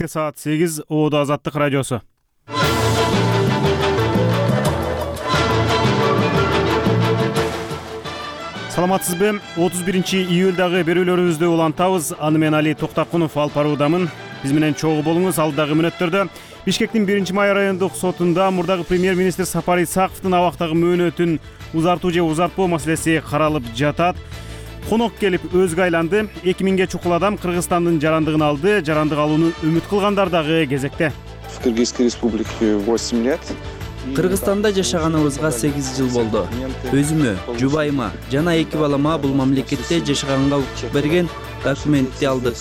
Саат 8 Оодо Азаттык радиосу. Саламатсызбы? 31-июлдагы берүүлөрүбүздү улантабыз. Аны мен Али Токтакунов алып баруудамын. Биз менен чогуу болуңуз. Алдагы мүнөттөрдө Бишкектин 1-май райондук сотунда мурдагы премьер-министр Сапар Исаковдун абактагы мөөнөтүн узартуу же узартпоо маселеси каралып жатат. Конок келип өзгө айланды. 2000ге чукул адам Кыргызстандын жарандыгын алды. Жарандык алууну үмүт кылгандар дагы кезекте. В Кыргызской республике 8 лет. Кыргызстанда жашаганыбызга 8 жыл болду. Өзүмө, жубайыма жана 2 балама бул мамлекетте жашаганга укук берген документти алдык.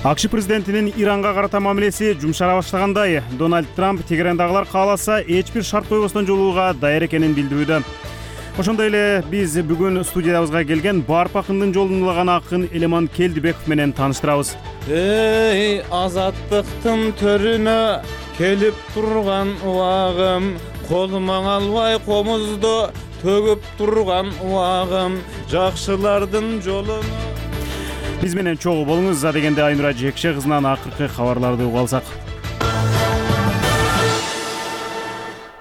АКШ президентинин Иранга карата мамилеси жумшара баштагандай. Дональд Трамп Тегерандагылар кааласа эч бир шарт койбостон жолугууга даяр экенин билдирүүдө. Ошондой эле биз бүгүн студиябызга келген Барп акындын жолун улаган акын Элеман Келдибеков менен тааныштырабыз. Эй, азаттыктын төрүнө келип турган убагым, колума албай комузду төгүп турган убагым, жакшылардын жолуну. Биз менен чогуу болуңуз. За дегенде Айнура Жекше кызынан акыркы кабарларды угуп алсак.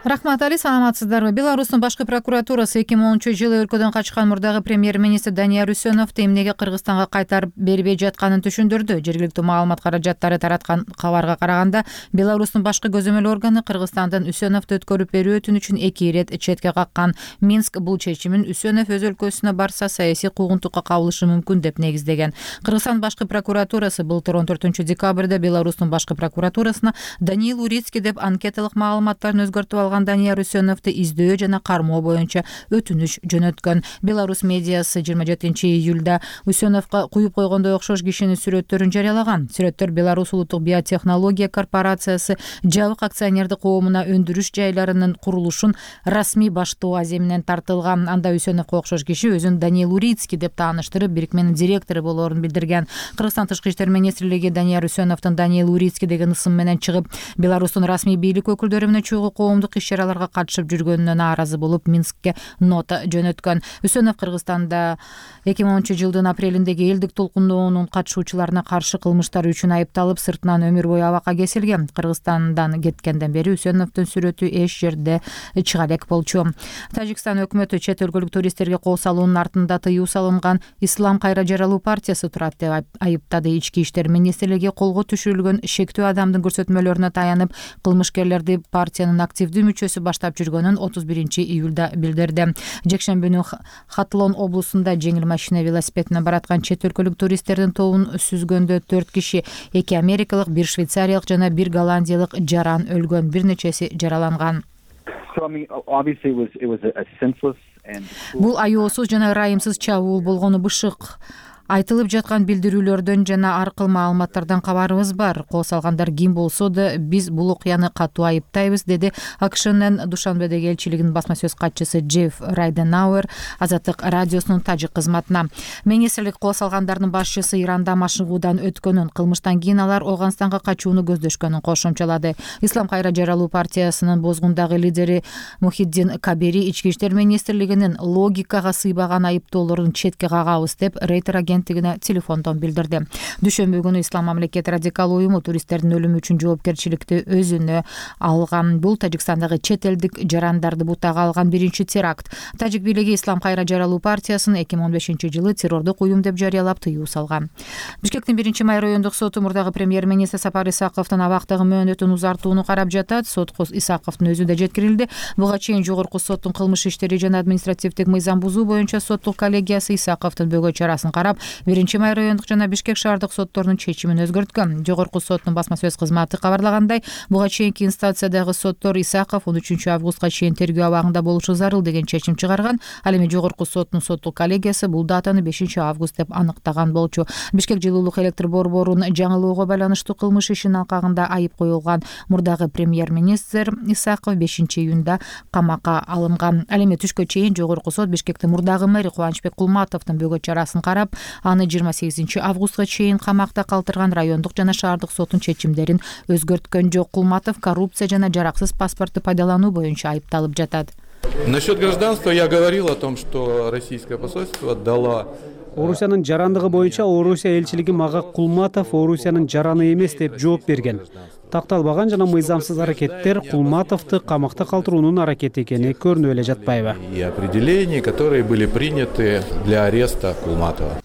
Рахмат, Али, саламатсыздарбы? Беларустун башкы прокуратурасы 2010-жылы өлкөдөн качкан мурдагы премьер-министр Данияр Үсөновду эмнеге Кыргызстанга кайтарып бербей жатканын түшүндүрдү. Жергиликтүү маалымат каражаттары тараткан кабарга караганда, Беларустун башкы көзөмөл органы Кыргызстандан Үсөновду өткөрүп берүү өтүнүчүн 2 ирет четке каккан. Минск бул чечимин Үсөнов өз өлкөсүнө барса саясий куугунтукка кабылышы мүмкүн деп негиздеген. Кыргызстан башкы прокуратурасы былтыр 14-декабрда Беларустун башкы прокуратурасына Даниил Урицкий деп анкеталык маалыматтарын өзгөртүп алган Данияр Үсөновду издөө жана кармоо боюнча өтүнүч жөнөткөн. Беларус медиасы 27-июлда Үсөновго куюп койгондой окшош кишинин сүрөттөрүн жарыялаган. Сүрөттөр Беларус улуттук биотехнология корпорациясы жабык акционердик коомуна өндүрүш жайларынын курулушун расмий баштоо аземинен тартылган. Анда Үсөновго окшош киши өзүн Даниил Урицкий деп тааныштырып, бирикменин директору болоорун билдирген. Кыргызстан тышкы иштер министрлиги Данияр Үсөновдун Даниил Урицкий деген ысым менен чыгып, Беларустун расмий бийлик өкүлдөрү менен чогуу коомдук иш-чараларга катышып жүргөнүнө нааразы болуп, Минскке нота жөнөткөн. Үсөнов Кыргызстанда 2010-жылдын апрелиндеги элдик толкундоонун катышуучуларына каршы кылмыштар үчүн айыпталып, сыртынан өмүр бою абакка кесилген. Кыргызстандан кеткенден бери Үсөновдун сүрөтү эч жерде чыга элек болчу. Тажикстан өкмөтү чет өлкөлүк туристтерге кол салуунун артында тыюу салынган Ислам кайра жаралуу партиясы турат деп айыптады. Ички иштер министрлиги колго түшүрүлгөн шектүү адамдын көрсөтмөлөрүнө таянып, кылмышкерлерди партиянын активдүү мүчөсү баштап жүргөнүн 31-июлда билдирди. Жекшембүнү Хатлон облусунда жеңил машина велосипед менен бараткан чет өлкөлүк туристтердин тобун сүзгөндө 4 киши, 2 америкалык, 1 швейцариялык жана 1 голландиялык жаран өлгөн, бир нечеси жараланган. Бул аюусуз жана ырайымсыз чабуул болгону бышык. Айтылып жаткан билдирүүлөрдөн жана ар кыл маалыматтардан кабарыбыз бар. Кол салгандар ким болсо да биз бул окуяны катуу айыптайбыз, деди АКШнын Душанбедеги элчилигинин басма сөз катчысы Джефф Райденауэр Азаттык радиосунун тажик кызматына. Министрлик кол салгандардын башчысы Иранда машыгуудан өткөнүн, кылмыштан кийин алар Ооганстанга качууну көздөшкөнүн кошумчалады. Ислам кайра жаралуу партиясынын бозгундагы лидери Мухиддин Кабери ички иштер министрлигинин логикага сыйбаган айыптоолорун четке кагабыз деп Рейтер агенттигине телефондон билдирди. Дүйшөмбү күнү Ислам мамлекет радикал уюму туристтердин өлүмү үчүн жоопкерчиликти өзүнө алган. Бул Тажикстандагы чет элдик жарандарды бутага алган биринчи теракт. Тажик бийлиги Ислам кайра жаралуу партиясын 2015-жылы террордук уюм деп жарыялап тыюу салган. Бишкектин 1-май райондук соту мурдагы премьер-министр Сапар Исаковдун абактагы мөөнөтүн узартууну карап жатат. Сотко Исаковдун өзү да жеткирилди. Буга чейин жогорку соттун кылмыш иштери жана административдик мыйзам бузуу боюнча соттук коллегиясы Исаковдун бөгө чарасын карап, 1-май райондук жана Бишкек шаардык сотторунун чечимин өзгөрткөн. Жогорку соттун басма сөз кызматы кабарлагандай, буга чейинки инстанциядагы соттор Исаков 13-августка чейин тергөө абагында болушу зарыл деген чечим чыгарган. Ал эми жогорку соттун соттук коллегиясы бул датаны 5-август деп аныктаган болчу. Бишкек жылуулук электр борборун жаңылоого байланыштуу кылмыш ишинин алкагында айып коюлган мурдагы премьер-министр Исаков 5-июнда камакка алынган. Ал эми түшкө чейин жогорку сот Бишкектин мурдагы мэри Кубанычбек Кулматовдун бөгө чарасын карап, аны 28-августка чейин камакта калтырган. Райондук жана шаардык соттун чечимдерин өзгөрткөн жок. Кулматов коррупция жана жараксыз паспорту пайдалануу боюнча айыпталып жатат. Насчет гражданства я говорил о том, что российское посольство дало Орусиянын жарандыгы боюнча Орусия элчилиги мага Кулматов Орусиянын жараны эмес деп жооп берген. Такталбаган жана мыйзамсыз аракеттер Кулматовду камакта калтыруунун аракети экени көрүнүп эле жатпайбы? И определения, которые были приняты для ареста Кулматова.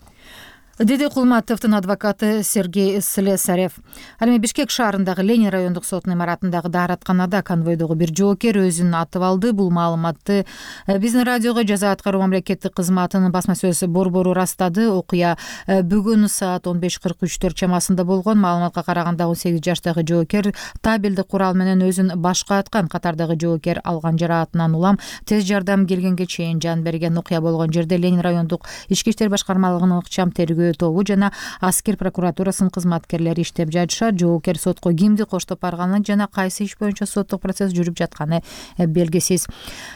Деди Кулматовдун адвокаты Сергей Слесарев. Ал эми Бишкек шаарындагы Ленин райондук сотунун имаратындагы дааратканада конвойдогу бир жоокер өзүн атып алды. Бул маалыматты биздин радиого жаза аткаруу мамлекеттик кызматынын басма сөз борбору ырастады. Окуя бүгүн саат 15:43 чамасында болгон. Маалыматка караганда 18 жаштагы жоокер табелдик курал менен өзүн башка аткан. Катардагы жоокер алган жараатынан улам тез жардам келгенге чейин жан берген. Окуя болгон жерде Ленин райондук ички иштер башкармалыгынын ыкчам тергөө тобу жана аскер прокуратурасынын кызматкерлери иштеп жатышат. Жоокер сотко кимди коштоп барганын жана кайсы иш боюнча соттук процесс жүрүп жатканы белгисиз.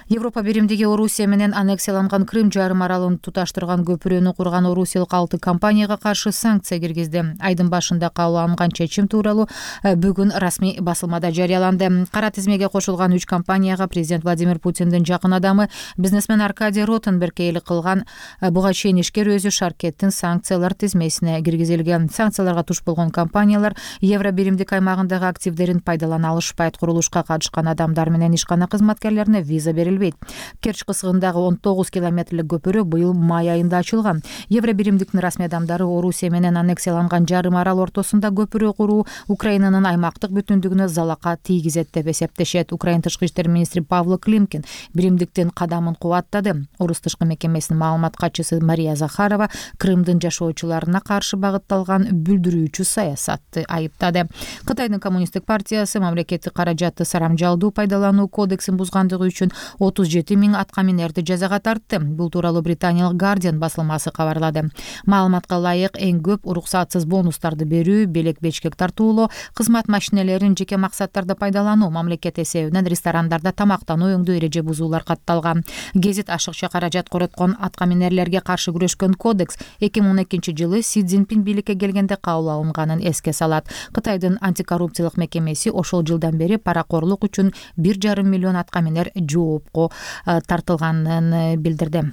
Европа биримдиги Орусия менен аннексияланган Крым жарым аралын туташтырган көпүрөнү курган орусиялык 6 компанияга каршы санкция киргизди. Айдын башында кабыл алынган чечим тууралуу бүгүн расмий басылмада жарыяланды. Кара тизмеге кошулган 3 компанияга президент Владимир Путиндин жакын адамы бизнесмен Аркадий Ротенберг ээлик кылган. Буга чейин ишкер өзү шаркеттин санкциялар тизмесине киргизилген. Санкцияларга туш болгон компаниялар евро биримдик аймагындагы активдерин пайдалана алышпайт. Курулушка катышкан адамдар менен ишкана кызматкерлерине виза берилбейт. Керч кысыгындагы 19 километрлик көпүрө быйыл май айында ачылган. Евро биримдиктин расмий адамдары Орусия менен аннексияланган жарым арал ортосунда көпүрө куруу Украинанын аймактык бүтүндүгүнө залака тийгизет деп эсептешет. Украин тышкы иштер министри Павло Климкин биримдиктин кадамын кубаттады. Орус тышкы мекемесинин маалымат катчысы Мария Захарова Крымдын жашоочуларына каршы багытталган бүлдүрүүчү саясатты айыптады. Кытайдын коммунисттик партиясы мамлекеттик каражатты сарамжалдуу пайдалануу кодексин бузгандыгы үчүн 37 000 аткаминерди жазага тартты. Бул тууралуу британиялык Guardian басылмасы кабарлады. Маалыматка ылайык эң көп уруксатсыз бонустарды берүү, белек-бечкек тартуулоо, кызмат машинелерин жеке максаттарда пайдалануу, мамлекет эсебинен ресторандарда тамактануу өңдүү эреже бузуулар катталган. Гезит ашыкча каражат короткон аткаминерлерге каршы күрөшкөн кодекс 2012 жылы Си Цзиньпин бийликке келгенде кабыл алынганын эске салат. Кытайдын антикоррупциялык мекемеси ошол жылдан бери паракорлук үчүн 1,5 миллион аткаминер жоопко тартылганын билдирди.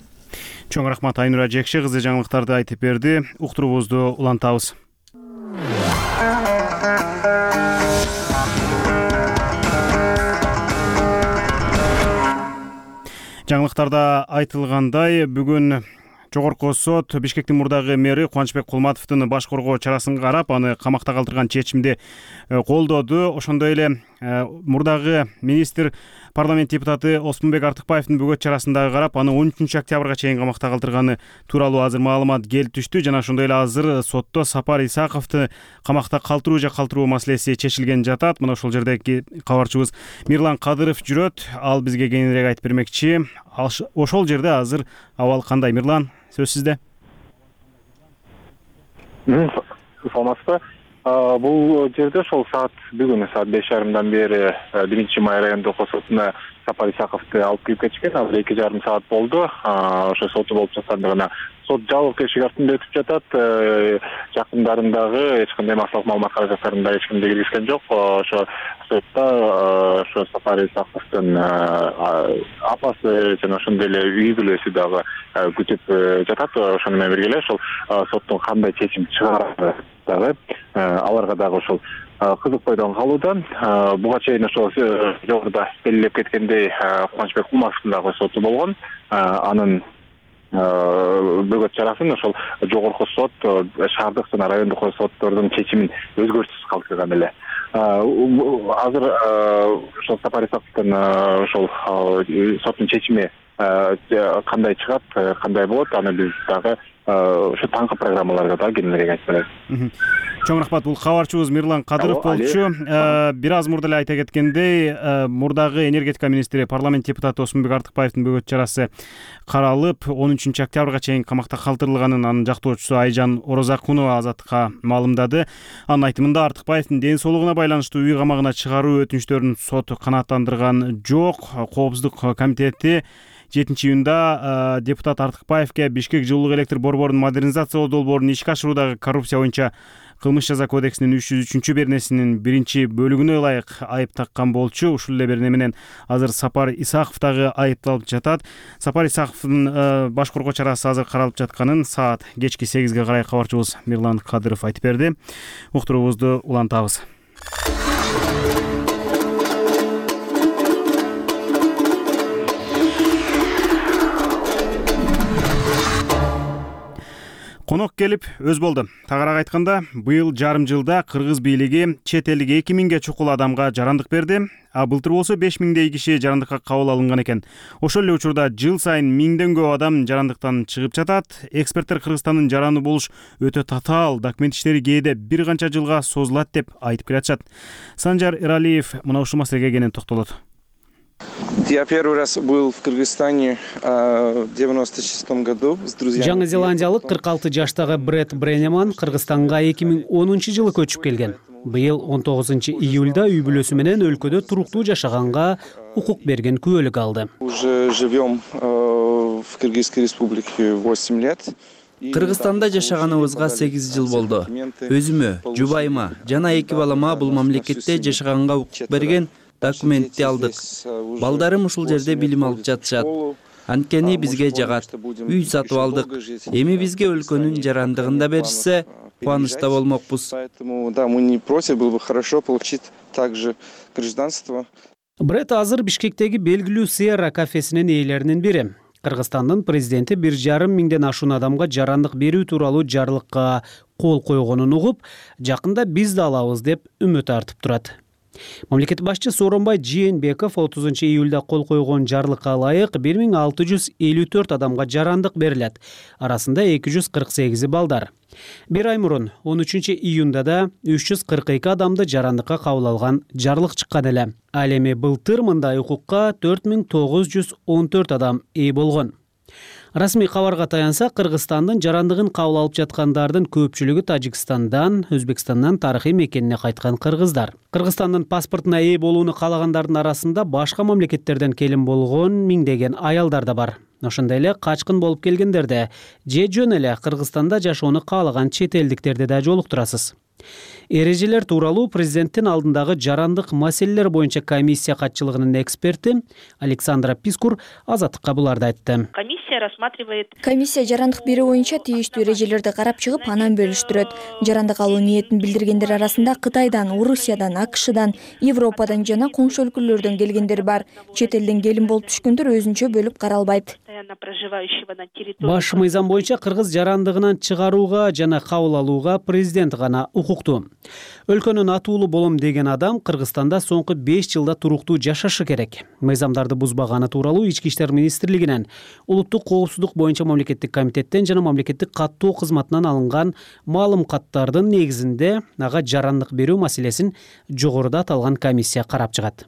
Чоң рахмат Айнура Жекши кызы жаңылыктарды айтып берди. Уктуруубузду улантабыз. Жаңылыктарда айтылгандай, бүгүн Жогорку сот Бишкектин мурдагы мэри Кубанычбек Кулматовдун баш коргоо чарасын карап, аны камакта калтырган чечимди колдоду. Ошондой эле мурдагы министр парламент депутаты Оспонбек Артыкбаевдин бөгөт чарасындагы карап, аны 13 октябрга чейин камакта калтырганы тууралуу азыр маалымат келип түштү. Жана ошондой эле азыр сотто Сапар Исаковду камакта калтыруу же калтыруу маселеси чечилген жатат. Мына ошол жердеги кабарчыбыз Мирлан Кадыров жүрөт. Ал бизге кеңирээк айтып бермекчи. Ошол жерде азыр абал кандай? Мирлан, сөз сизде. Саламатсызбы? Бул жерде ошол бүгүн саат 5:30 бери 1 май райондук сотуна Сапар Исаковду алып кирип кетишкен. Азыр 2,5 саат болду. Ошо соту болуп жаткандыгына сот жабык эшик артында өтүп жатат. Жакындарындагы эч кандай массалык маалымат каражаттарында эч кимди киргизген жок. Ошо сотто ошо Сапар Исаковдун апасы жана ошондой эле үй бүлөсү дагы күтүп жатат. Ошону менен бирге эле ошол соттун кандай чечим чыгарары дагы аларга дагы ошол кызык бойдон калууда. Буга чейин ошол жогоруда белгилеп кеткендей Кубанычбек Кулматовдун дагы соту болгон. Анын бөгөт чарасын ошол жогорку сот шаардык жана райондук соттордун чечимин өзгөртүсүз калтырган эле. Азыр ошол Сапар Исаковдун ошол соттун чечими кандай чыгат, кандай болот, аны биз дагы ошо таңкы программаларга дагы кеңирээк айтып беребиз. Чоң рахмат. Бул кабарчыбыз Мирлан Кадыров болчу. Бир аз мурда эле айта кеткендей, мурдагы энергетика министри парламент депутаты Оспонбек Артыкбаевдин бөгөт чарасы каралып, 13 октябрга чейин камакта калтырылганын анын жактоочусу Айжан Орозакунова Азаттыкка маалымдады. Анын айтымында Артыкбаевдин ден соолугуна байланыштуу үй камагына чыгаруу өтүнүчтөрүн сот канааттандырган жок. Коопсуздук комитети 7 июнда депутат Артыкбаевге Бишкек жылуулук электр борбору борборун модернизациялоо долбоорун ишке ашыруудагы коррупция боюнча кылмыш жаза кодексинин 303 беренесинин 1-бөлүгүнө ылайык айып таккан болчу. Ушул эле берене менен азыр Сапар Исаков дагы айыпталып жатат. Сапар Исаковдун баш коргоо чарасы азыр каралып жатканын саат кечки 8-ге карай кабарчыбыз Мирлан Кадыров айтып берди. Уктуруубузду улантабыз. Конок келип өз болду. Тагыраак айтканда, быйыл жарым жылда кыргыз бийлиги чет элдик 2000ге чукул адамга жарандык берди. А былтыр болсо 5000дей киши жарандыкка кабыл алынган экен. Ошол эле учурда жыл сайын 1000ден көп адам жарандыктан чыгып жатат. Эксперттер Кыргызстандын жараны болуш өтө татаал, документ иштери кээде бир канча жылга созулат деп айтып келатышат. Санжар Эралиев мына ушул маселеге кенен токтолот. Я первый раз был в Кыргызстане в 96 году с друзьями. Жаңы Зеландиялык 46 жаштагы Брэд Бренеман Кыргызстанга 2010-жылы көчүп келген. Быйыл 19-июлда үй бүлөсү менен өлкөдө туруктуу жашаганга укук берген күбөлүк алды. Уже живем в Кыргызской республике 8 лет. Кыргызстанда жашаганыбызга 8 жыл болду. Өзүмө, жубайыма жана 2 балама бул мамлекетте жашаганга укук берген документти алдык. Балдарым ушул жерде билим алып жатышат. Анткени бизге жагат. Үй сатып алдык. Эми бизге өлкөнүн жарандыгын да беришсе, кубанычта болмокпуз. Поэтому да, мы не против, было бы хорошо получить также гражданство. Брэд азыр Бишкектеги белгилүү Сierra кафесинин ээлеринин бири. Кыргызстандын президенти 1,5 миңден ашуун адамга жарандык берүү тууралуу жарлыкка кол койгонун угуп, жакында биз да алабыз деп үмүт артып турат. Мамлекет башчы Сооронбай Жээнбеков 30-июлда кол койгон жарлыкка ылайык 1654 адамга жарандык берилет. Арасында 248 балдар. Бир ай мурун 13-июнда да 342 адамды жарандыкка кабыл алган жарлык чыккан эле. Ал эми былтыр мындай укукка 4914 адам ээ болгон. Расмий кабарга таянса, Кыргызстандын жарандыгын кабыл алып жаткандардын көпчүлүгү Тажикстандан, Өзбекстандан тарыхый мекенине кайткан кыргыздар. Кыргызстандын паспортуна ээ болууну каалагандардын арасында башка мамлекеттерден келин болгон миңдеген аялдар да бар. Ошондой эле качкын болуп келгендерде же жөн эле Кыргызстанда жашоону каалаган чет элдиктерди да жолуктурасыз. Эрежелер тууралуу президенттин алдындагы жарандык маселелер боюнча комиссия катчылыгынын эксперти Александра Пискур Азаттыкка буларды айтты. Комиссия жарандык берүү боюнча тийиштүү эрежелерди карап чыгып, анан бөлүштүрөт. Жарандык алуу ниетин билдиргендер арасында Кытайдан, Орусиядан, АКШдан, Европадан жана коңшу өлкөлөрдөн келгендер бар. Чет элден келин болуп түшкөндөр өзүнчө бөлүп каралбайт. Баш мыйзам боюнча кыргыз жарандыгынан чыгарууга жана кабыл алууга президент гана укуктуу. Өлкөнүн атуулу болом деген адам Кыргызстанда соңку 5 жылда туруктуу жашашы керек. Мыйзамдарды бузбаганы тууралуу Ички иштер министрлигинен, улуттук коопсуздук боюнча мамлекеттик комитеттен жана мамлекеттик каттоо кызматынан алынган маалыматтардын негизинде ага жарандык берүү маселесин жогоруда аталган комиссия карап чыгат.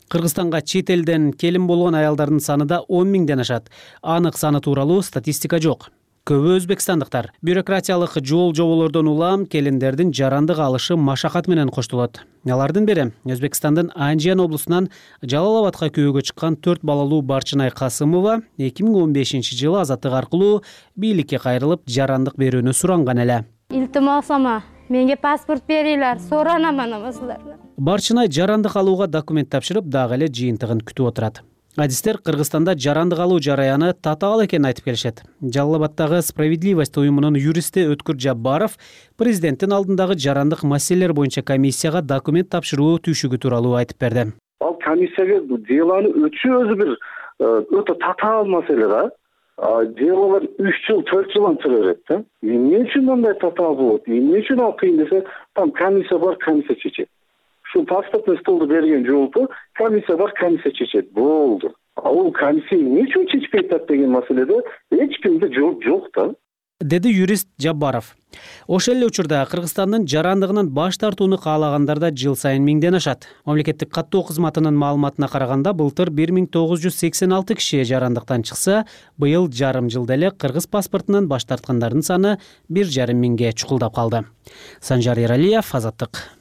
Кыргызстанга чет элден келин болгон аялдардын саны да 10 миңден ашат. Анык саны тууралуу статистика жок. Көбү өзбекстандыктар. Бюрократиялык жол жоболордон улам келиндердин жарандык алышы машакат менен коштолот. Алардын бири Өзбекстандын Анжиян облусунан Жалал-Абадка күйөөгө чыккан 4 балалуу Барчынай Касымова 2015-жылы азаттык аркылуу бийликке кайрылып жарандык берүүнү суранган эле. Илтимосома, менге паспорт бериңер, соранаман амасылар. Барчынай жарандык алууга документ тапшырып, дагы эле жыйынтыгын күтүп отурат. Адистер Кыргызстанда жарандык алуу жараяны татаал экенин айтып келишет. Жалал-Абадтагы Справедливость уюмунун юристи Өткүр Жаббаров президенттин алдындагы жарандык маселелер боюнча комиссияга документ тапшыруу түйшүгү тууралуу айтып берди. Ал комиссияга деланы өтүү өзү бир өтө татаал маселе да. Делалар 3 жыл, 4 жылдан чыга берет. Эмне үчүн мындай татаал болот? Эмне үчүн ал кыйын десе, там комиссия бар, комиссия чечет. Şu pasportun stoldu bergen жолду комиссия бар, комиссия чечет. Болду. Ал комиссия эмне үчүн чечпей атат деген маселеде эч кимде жок да. Деди юрист Жаббаров. Ошол эле учурда Кыргызстандын жарандыгынан баш тартууну каалагандар да жыл сайын миңден ашат. Мамлекеттик каттоо кызматынын маалыматына караганда былтыр 1986 киши жарандыктан чыкса, быйыл жарым жылда эле кыргыз паспортунан баш тарткандардын саны 1,5 миңге чукулдап калды. Санжар Эралиев, Азаттык.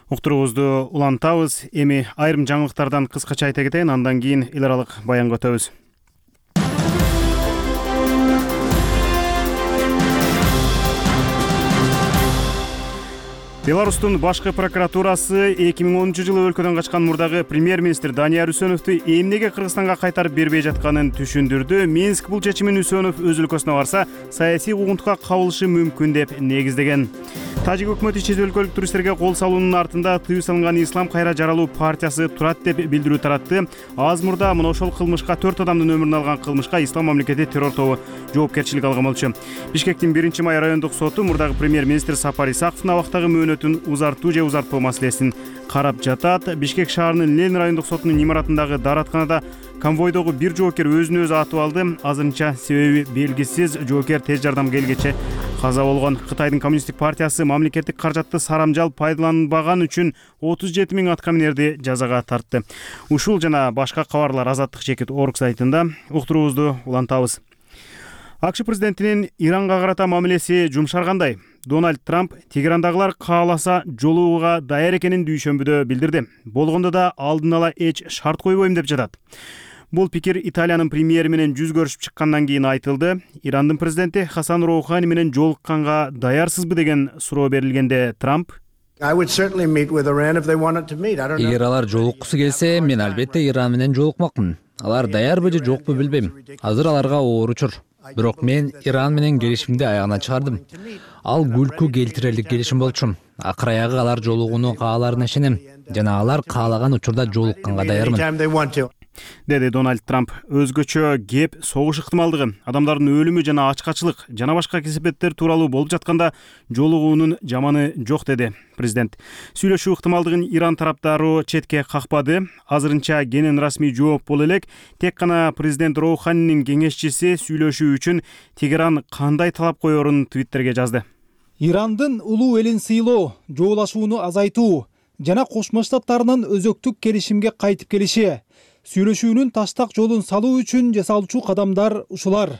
Уктуруубузду улантабыз. Эми айрым жаңылыктардан кыскача айта кетейин, андан кийин эл аралык баянга өтөбүз. Беларустун башкы прокуратурасы 2010-жылы өлкөдөн качкан мурдагы премьер-министр Данияр Үсөновду эмнеге Кыргызстанга кайтарып бербей жатканын түшүндүрдү. Минск бул чечимин Үсөнов өз өлкөсүнө барса, саясий угунтукка кабылышы мүмкүн деп негиздеген. Тажик өкмөтү чет өлкөлүк туристтерге кол салуунун артында тыюу салынган Ислам кайра жаралуу партиясы турат деп билдирүү таратты. Аз мурда мына ошол кылмышка 4 адамдын өмүрүн алган кылмышка Ислам мамлекети террор тобу жоопкерчилик алган болчу. Бишкектин 1-май райондук соту мурдагы премьер-министр Сапар Исаковдун абактагы мөөнөтүн узартуу же узартпоо маселесин карап жатат. Бишкек шаарынын Ленин райондук сотунун имаратындагы дааратканада конвойдогу бир жоокер өзүн өзү атып алды. Азырынча себеби белгисиз. Жоокер тез жардам келгече каза болгон. Кытайдын коммунисттик партиясы мамлекеттик каражатты сарамжал пайдаланбаган үчүн 37 000 аткаминерди жазага тартты. Ушул жана башка кабарлар Азаттык чекит орг сайтында. Уктуруубузду улантабыз. АКШ президентинин Иранга карата мамилеси жумшаргандай. Дональд Трамп Тегерандагылар кааласа жолугууга даяр экенин дүйшөмбүдө билдирди. Болгондо да алдын ала эч шарт койбойм деп жатат. Бул пикир Италиянын премьери менен жүз көрүшүп чыккандан кийин айтылды. Ирандын президенти Хасан Роухани менен жолукканга даярсызбы деген суроо берилгенде Трамп: Эгер алар жолуккусу келсе, мен албетте Иран менен жолукмакмын. Алар даярбы же жокпу билбейм. Азыр аларга оор учур. Бирок мен Иран менен келишимди аягына чыгардым. Ал күлкү келтирерлик келишим болчу. Акыр аягы алар жолугууну кааларына ишенем жана алар каалаган учурда жолукканга даярмын, деди Дональд Трамп. Өзгөчө кеп согуш ыктымалдыгы, адамдардын өлүмү жана ачкачылык жана башка кесепеттер тууралуу болуп жатканда жолугуунун жаманы жок, деди президент. Сүйлөшүү ыктымалдыгын Иран тараптары четке какпады. Азырынча кенен расмий жооп боло элек. Тек гана президент Роуханинин кеңешчиси сүйлөшүү үчүн Тегеран кандай талап коерун твиттерге жазды. Ирандын улуу элин сыйлоо, жоолашууну азайтуу жана Кошмо Штаттарынын өзөктүк келишимге кайтып келиши, сүйлөшүүнүн таштак жолун салуу үчүн жасалчу кадамдар ушулар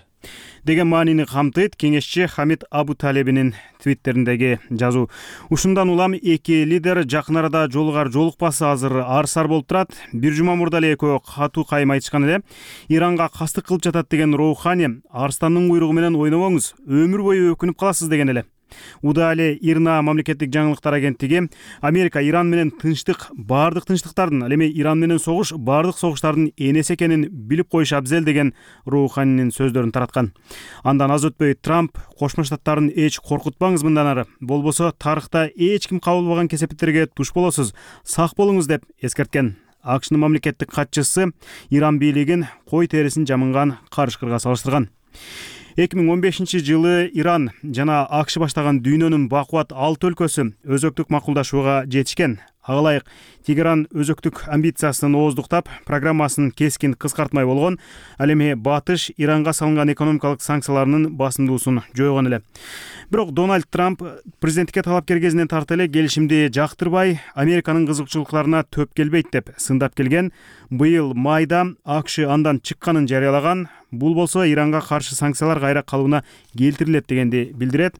деген маанини камтыйт кеңешчи Хамид Абу Талебинин твиттериндеги жазуу. Ушундан улам эки лидер жакын арада жолугар жолукпасы азыр ар-сар болуп турат. Бир жума мурда эле экөө катуу кайым айтышкан эле. Иранга кастык кылып жатат деген Роухани арстандын куйругу менен ойнобоңуз, өмүр бою өкүнүп каласыз деген эле. Удали Ирна мамлекеттик жаңылыктар агенттиги Америка Иран менен тынчтык, бардык тынчтыктардын, ал эми Иран менен согуш бардык согуштардын энеси экенин билип коюш абзел деген Роуханинин сөздөрүн тараткан. Андан аз өтпөй Трамп Кошмо Штаттарын эч коркутпаңыз мындан ары, болбосо тарыхта эч ким кабылбаган кесепеттерге туш болосуз, сак болуңуз деп эскерткен. АКШнын мамлекеттик катчысы Иран бийлигин кой терисин жамынган карышкырга салыштырган. 2015-жылы Иран жана АКШ баштаган дүйнөнүн бакубат 6 өлкөсү өзөктүк макулдашууга жетишкен. Ага ылайык Тегеран өзөктүк амбициясын ооздуктап, программасын кескин кыскартмай болгон. Ал эми батыш Иранга салынган экономикалык санкцияларынын басымдуусун жойгон эле. Бирок Дональд Трамп президенттикке талапкер кезинен тарта эле келишимди жактырбай, Американын кызыкчылыктарына төп келбейт деп сындап келген. Быйыл майда АКШ андан чыкканын жарыялаган. Бул болсо Иранга каршы санкциялар кайра калыбына келтирилет дегенди билдирет.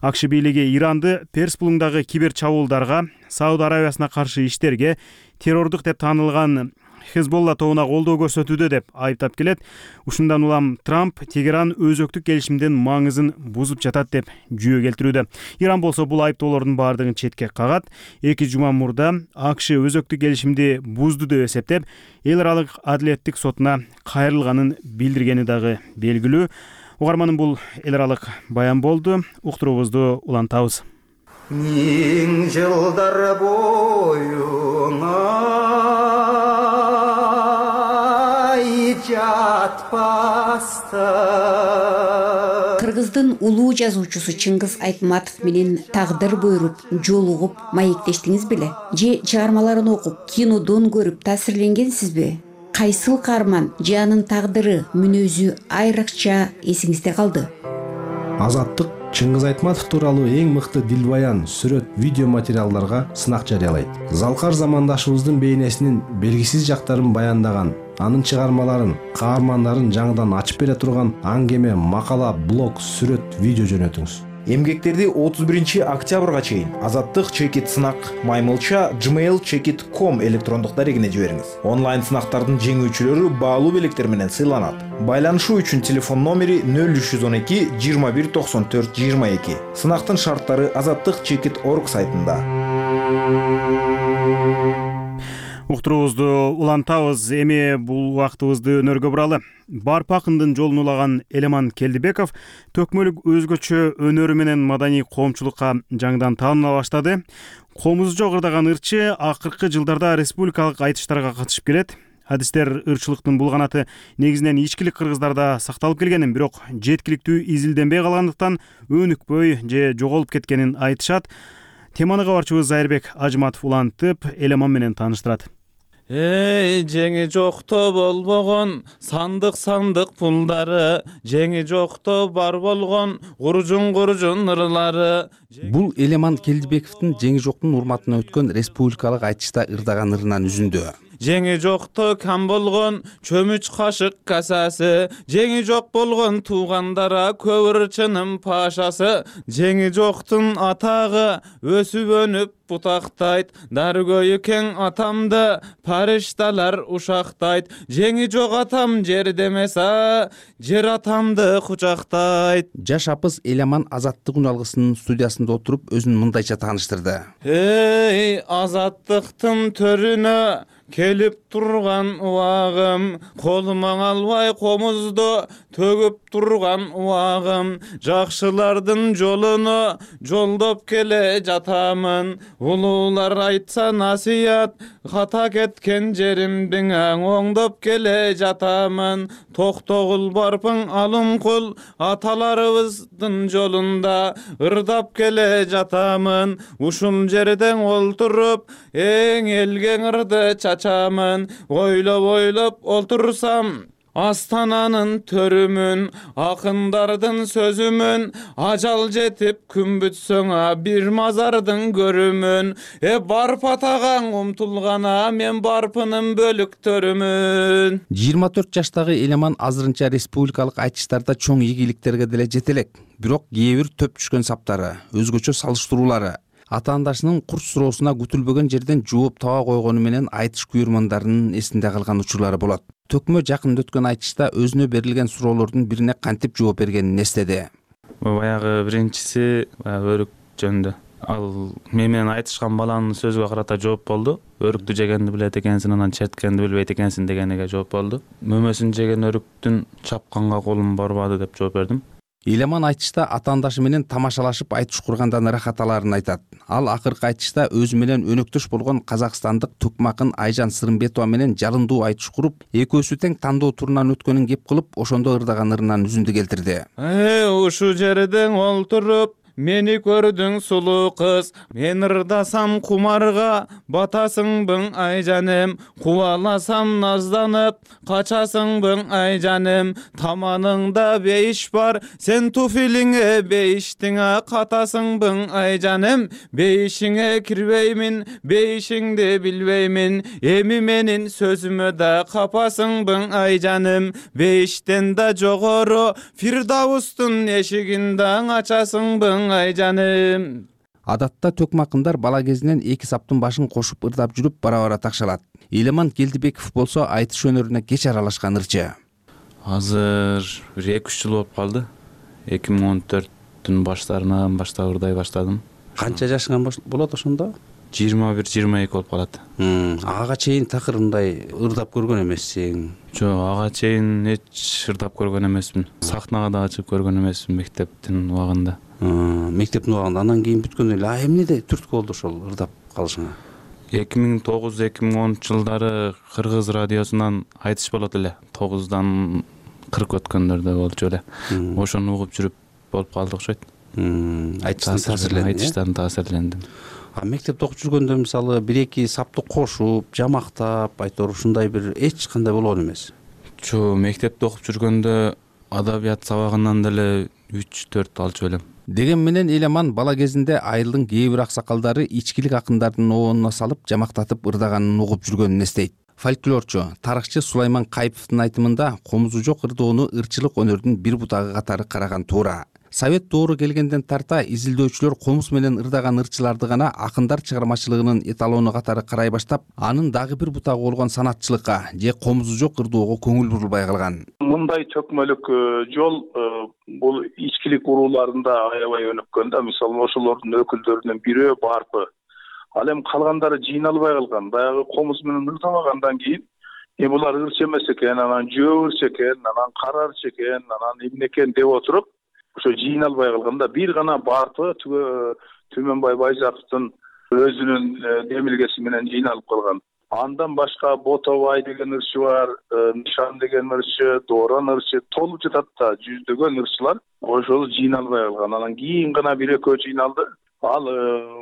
АКШ бийлиги Иранды Перс булуңдагы кибер чабуулдарга, Сауд Арабиясына каршы иштерге, террордук деп таанылган Хезболла тобуна колдоо көрсөтүүдө деп айыптап келет. Ушундан улам Трамп Тегеран өзөктүк келишимдин маңызын бузуп жатат деп жүйө келтирүүдө. Иран болсо бул айыптоолордун баардыгын четке кагат. 2 жума мурда АКШ өзөктүк келишимди бузду деп эсептеп, эл аралык адилеттик сотуна кайрылганын билдиргени дагы белгилүү. Угарманым, бул эл аралык баян болду. Уктуруубузду улантабыз. Миң жылдар боюңа Кыргыздын улуу жазуучусу Чыңгыз Айтматов менен тагдыр буйруп, жолугуп, маектештиңиз беле? Же чыгармаларын окуп, кинодон көрүп таасирленгенсизби? Кайсыл каарман же анын тагдыры, мүнөзү айрыкча эсиңизде калды? Азаттык Чыңгыз Айтматов тууралуу эң мыкты дилбаян, сүрөт, видео материалдарга сынак жарыялайт. Залкар замандашыбыздын бейнесинин белгисиз жактарын баяндаган, анын чыгармаларын, каармандарын жаңыдан ачып бере турган аңгеме, макала, блог, сүрөт, видео жөнөтүңүз. Эмгектерди 31 октябрга чейин Азаттык чекит сынак маймылча gmail.com электрондук дарегине жибериңиз. Онлайн сынактардын жеңүүчүлөрү баалуу белектер менен сыйланат. Байланышуу үчүн телефон номери 0312 21 94 22. Сынактын шарттары Азаттык чекит орг сайтында. Уктуруубузду улантабыз. Эми бул убактыбызды өнөргө буралы. Барп акындын жолун улаган Элеман Келдибеков төкмөлүк өзгөчө өнөрү менен маданий коомчулукка жаңыдан тааныла баштады. Комузжо кырдаган ырчы акыркы жылдарда республикалык айтыштарга катышып келет. Адистер ырчылыктын бул канаты негизинен ичкилик кыргыздарда сакталып келгенин, бирок жеткиликтүү изилденбей калгандыктан өнүкпөй же жоголуп кеткенин айтышат. Теманы кабарчыбыз Зайырбек Ажматов улантып, Элеман менен тааныштырат. Жеңи жокто болбогон сандык пулдары, жеңи жокто бар болгон гуржун ырлары. Бул Элеман Келдибековдун жеңи жоктун урматына өткөн республикалык айтышта ырдаган ырынан үзүндү. Жеңи жокто кам болгон чөмүч кашык касасы, жеңи жок болгон туугандара көп ырчынын пашасы. Жеңи жоктун атагы өсүп өнүп бутактайт, даргөйү кең атамды паришталар ушактайт. Жеңи жок атам жерде эмес, жер атамды кучактайт. Жаш апыз Элеман Азаттык үналгысынын студиясында отуруп өзүн мындайча тааныштырды. Азаттыктын төрүнө келип турган убагым, колума албай комузду төгүп турган убагым, жакшылардын жолуну жолдоп келе жатамын. Улуулар айтса насыят, ката кеткен жеримдин оңдоп келе жатамын. Токтогул барпың алымкул, аталарыбыздын жолунда ырдап келе жатамын. Ушул жерден олтуруп эң элген ырды чачамын. Ойлоп олтурсам Астананын төрүмүн, акындардын сөзүмүн, ажал жетип күн бүтсөң бир мазардын көрүмүн. Барп атагаң умтулгана мен барпынын бөлүктөрүмүн. 24 жаштагы Элеман азырынча республикалык айтыштарда чоң ийгиликтерге деле жете элек. Бирок кээ бир төп түшкөн саптары, өзгөчө салыштыруулары, ата-андашынын курч суроосуна күтүлбөгөн жерден жооп таба койгону менен айтыш күйөрмандарынын эсинде калган учурлары болот. Төкмө жакында өткөн айтышта өзүнө берилген суроолордун бирине кантип жооп бергенин эстеди. Баягы биринчиси өрүк жөнүндө. Ал мен менен айтышкан баланын сөзүгө карата жооп болду. Өрүктү жегенди билет экенсиң, анан черткенди билбейт экенсиң дегениге жооп болду. Мөмөсүн жеген өрүктүн чапканга колум барбады деп жооп бердим. Элеман айтышта ата-андашы менен тамашалашып айтыш кургандан ырахат аларын айтат. Ал акыркы айтышта өзү менен өнөктөш болгон казакстандык тукмакын Айжан Сырымбетова менен жалындуу айтыш куруп, экөөсү тең тандоо турунан өткөнүн кеп кылып, ошондо ырдаган ырынан үзүндү келтирди. Ушу жерден олтуруп мени көрдүң сулуу кыз, мен ырдасам кумарга батасыңбың айжаным, кубаласам назданып качасыңбың айжаным, таманыңда бейиш бар, сен туфилиңе бейиштиң катасыңбың айжаным, бейишиңе кирбеймин, бейишиңди билбеймин, эми менин сөзүмө да капасыңбың айжаным, бейиштен да жогору Фирдаустун эшигин да ачасыңбың айжаным. Адатта төкмакындар бала кезинен эки саптын башын кошуп ырдап жүрүп бара-бара такшалат. Элеман Келдибеков болсо айтыш өнөрүнө кеч аралашкан ырчы. Азыр 2-3 жыл болуп калды. 2014-түн баштарынан баштап ырдай баштадым. Канча жашыңан болот ошондо? 21-22 болуп калат. Ага чейин такыр мындай ырдап көргөн эмессиң? Жок, ага чейин эч ырдап көргөн эмесмин. Сахнага да чыгып көргөн эмесмин мектептин убагында. Мектептин убагында, андан кийин бүткөндөн эле эмнеде түрткү болду ошол ырдап калышыңа? 2009-2010 жылдары Кыргыз радиосунан айтыш болот эле. 9-дан 40 өткөндөрдө болчу эле. Ошону угуп жүрүп болуп калды окшойт. Айтыштан таасирлендим. Мектепте окуп жүргөндө мисалы 1-2 сапты кошуп, жамактап, айтор ушундай бир эч кандай болгон эмес. Жок, мектепте окуп жүргөндө адабият сабагынан деле 3-4 алчу элем. Деген менен Элеман бала кезинде айылдын кээ бир аксакалдары ичкилик акындардын оонуна салып жамактатып ырдаганын угуп жүргөнүн эстейт. Фольклорчу, тарыхчы Сулайман Кайыповдун айтымында комузу жок ырдоону ырчылык өнөрдүн бир бутагы катары караган туура. Совет доору келгенден тарта изилдөөчүлөр комуз менен ырдаган ырчыларды гана акындар чыгармачылыгынын эталону катары карай баштап, анын дагы бир бутагы болгон санатчылыкка же комузу жок ырдоого көңүл бурулбай калган. Мындай төкмөлүк жол бул ичкилик урууларында аябай өнүккөн да. Мисалы ошолордун өкүлдөрүнүн бири барпы. Ал эми калгандары жыйналбай калган. Баягы комуз менен ырдабагандан кийин булар ырчы эмес экен, анан жөө ырчы экен, анан кара ырчы экен, анан эмне экен деп отуруп, ошо жыйналбай калганда бир гана барпы Түмөнбай Байзаковдун өзүнүн демилгеси менен жыйналып калган. Андан башка Ботобай деген ырчы бар, Нишан деген ырчы, Дооран ырчы толуп жатат да, жүздөгөн ырчылар ошол жыйналбай калган. Анан кийин гана бир экөө жыйналды. Ал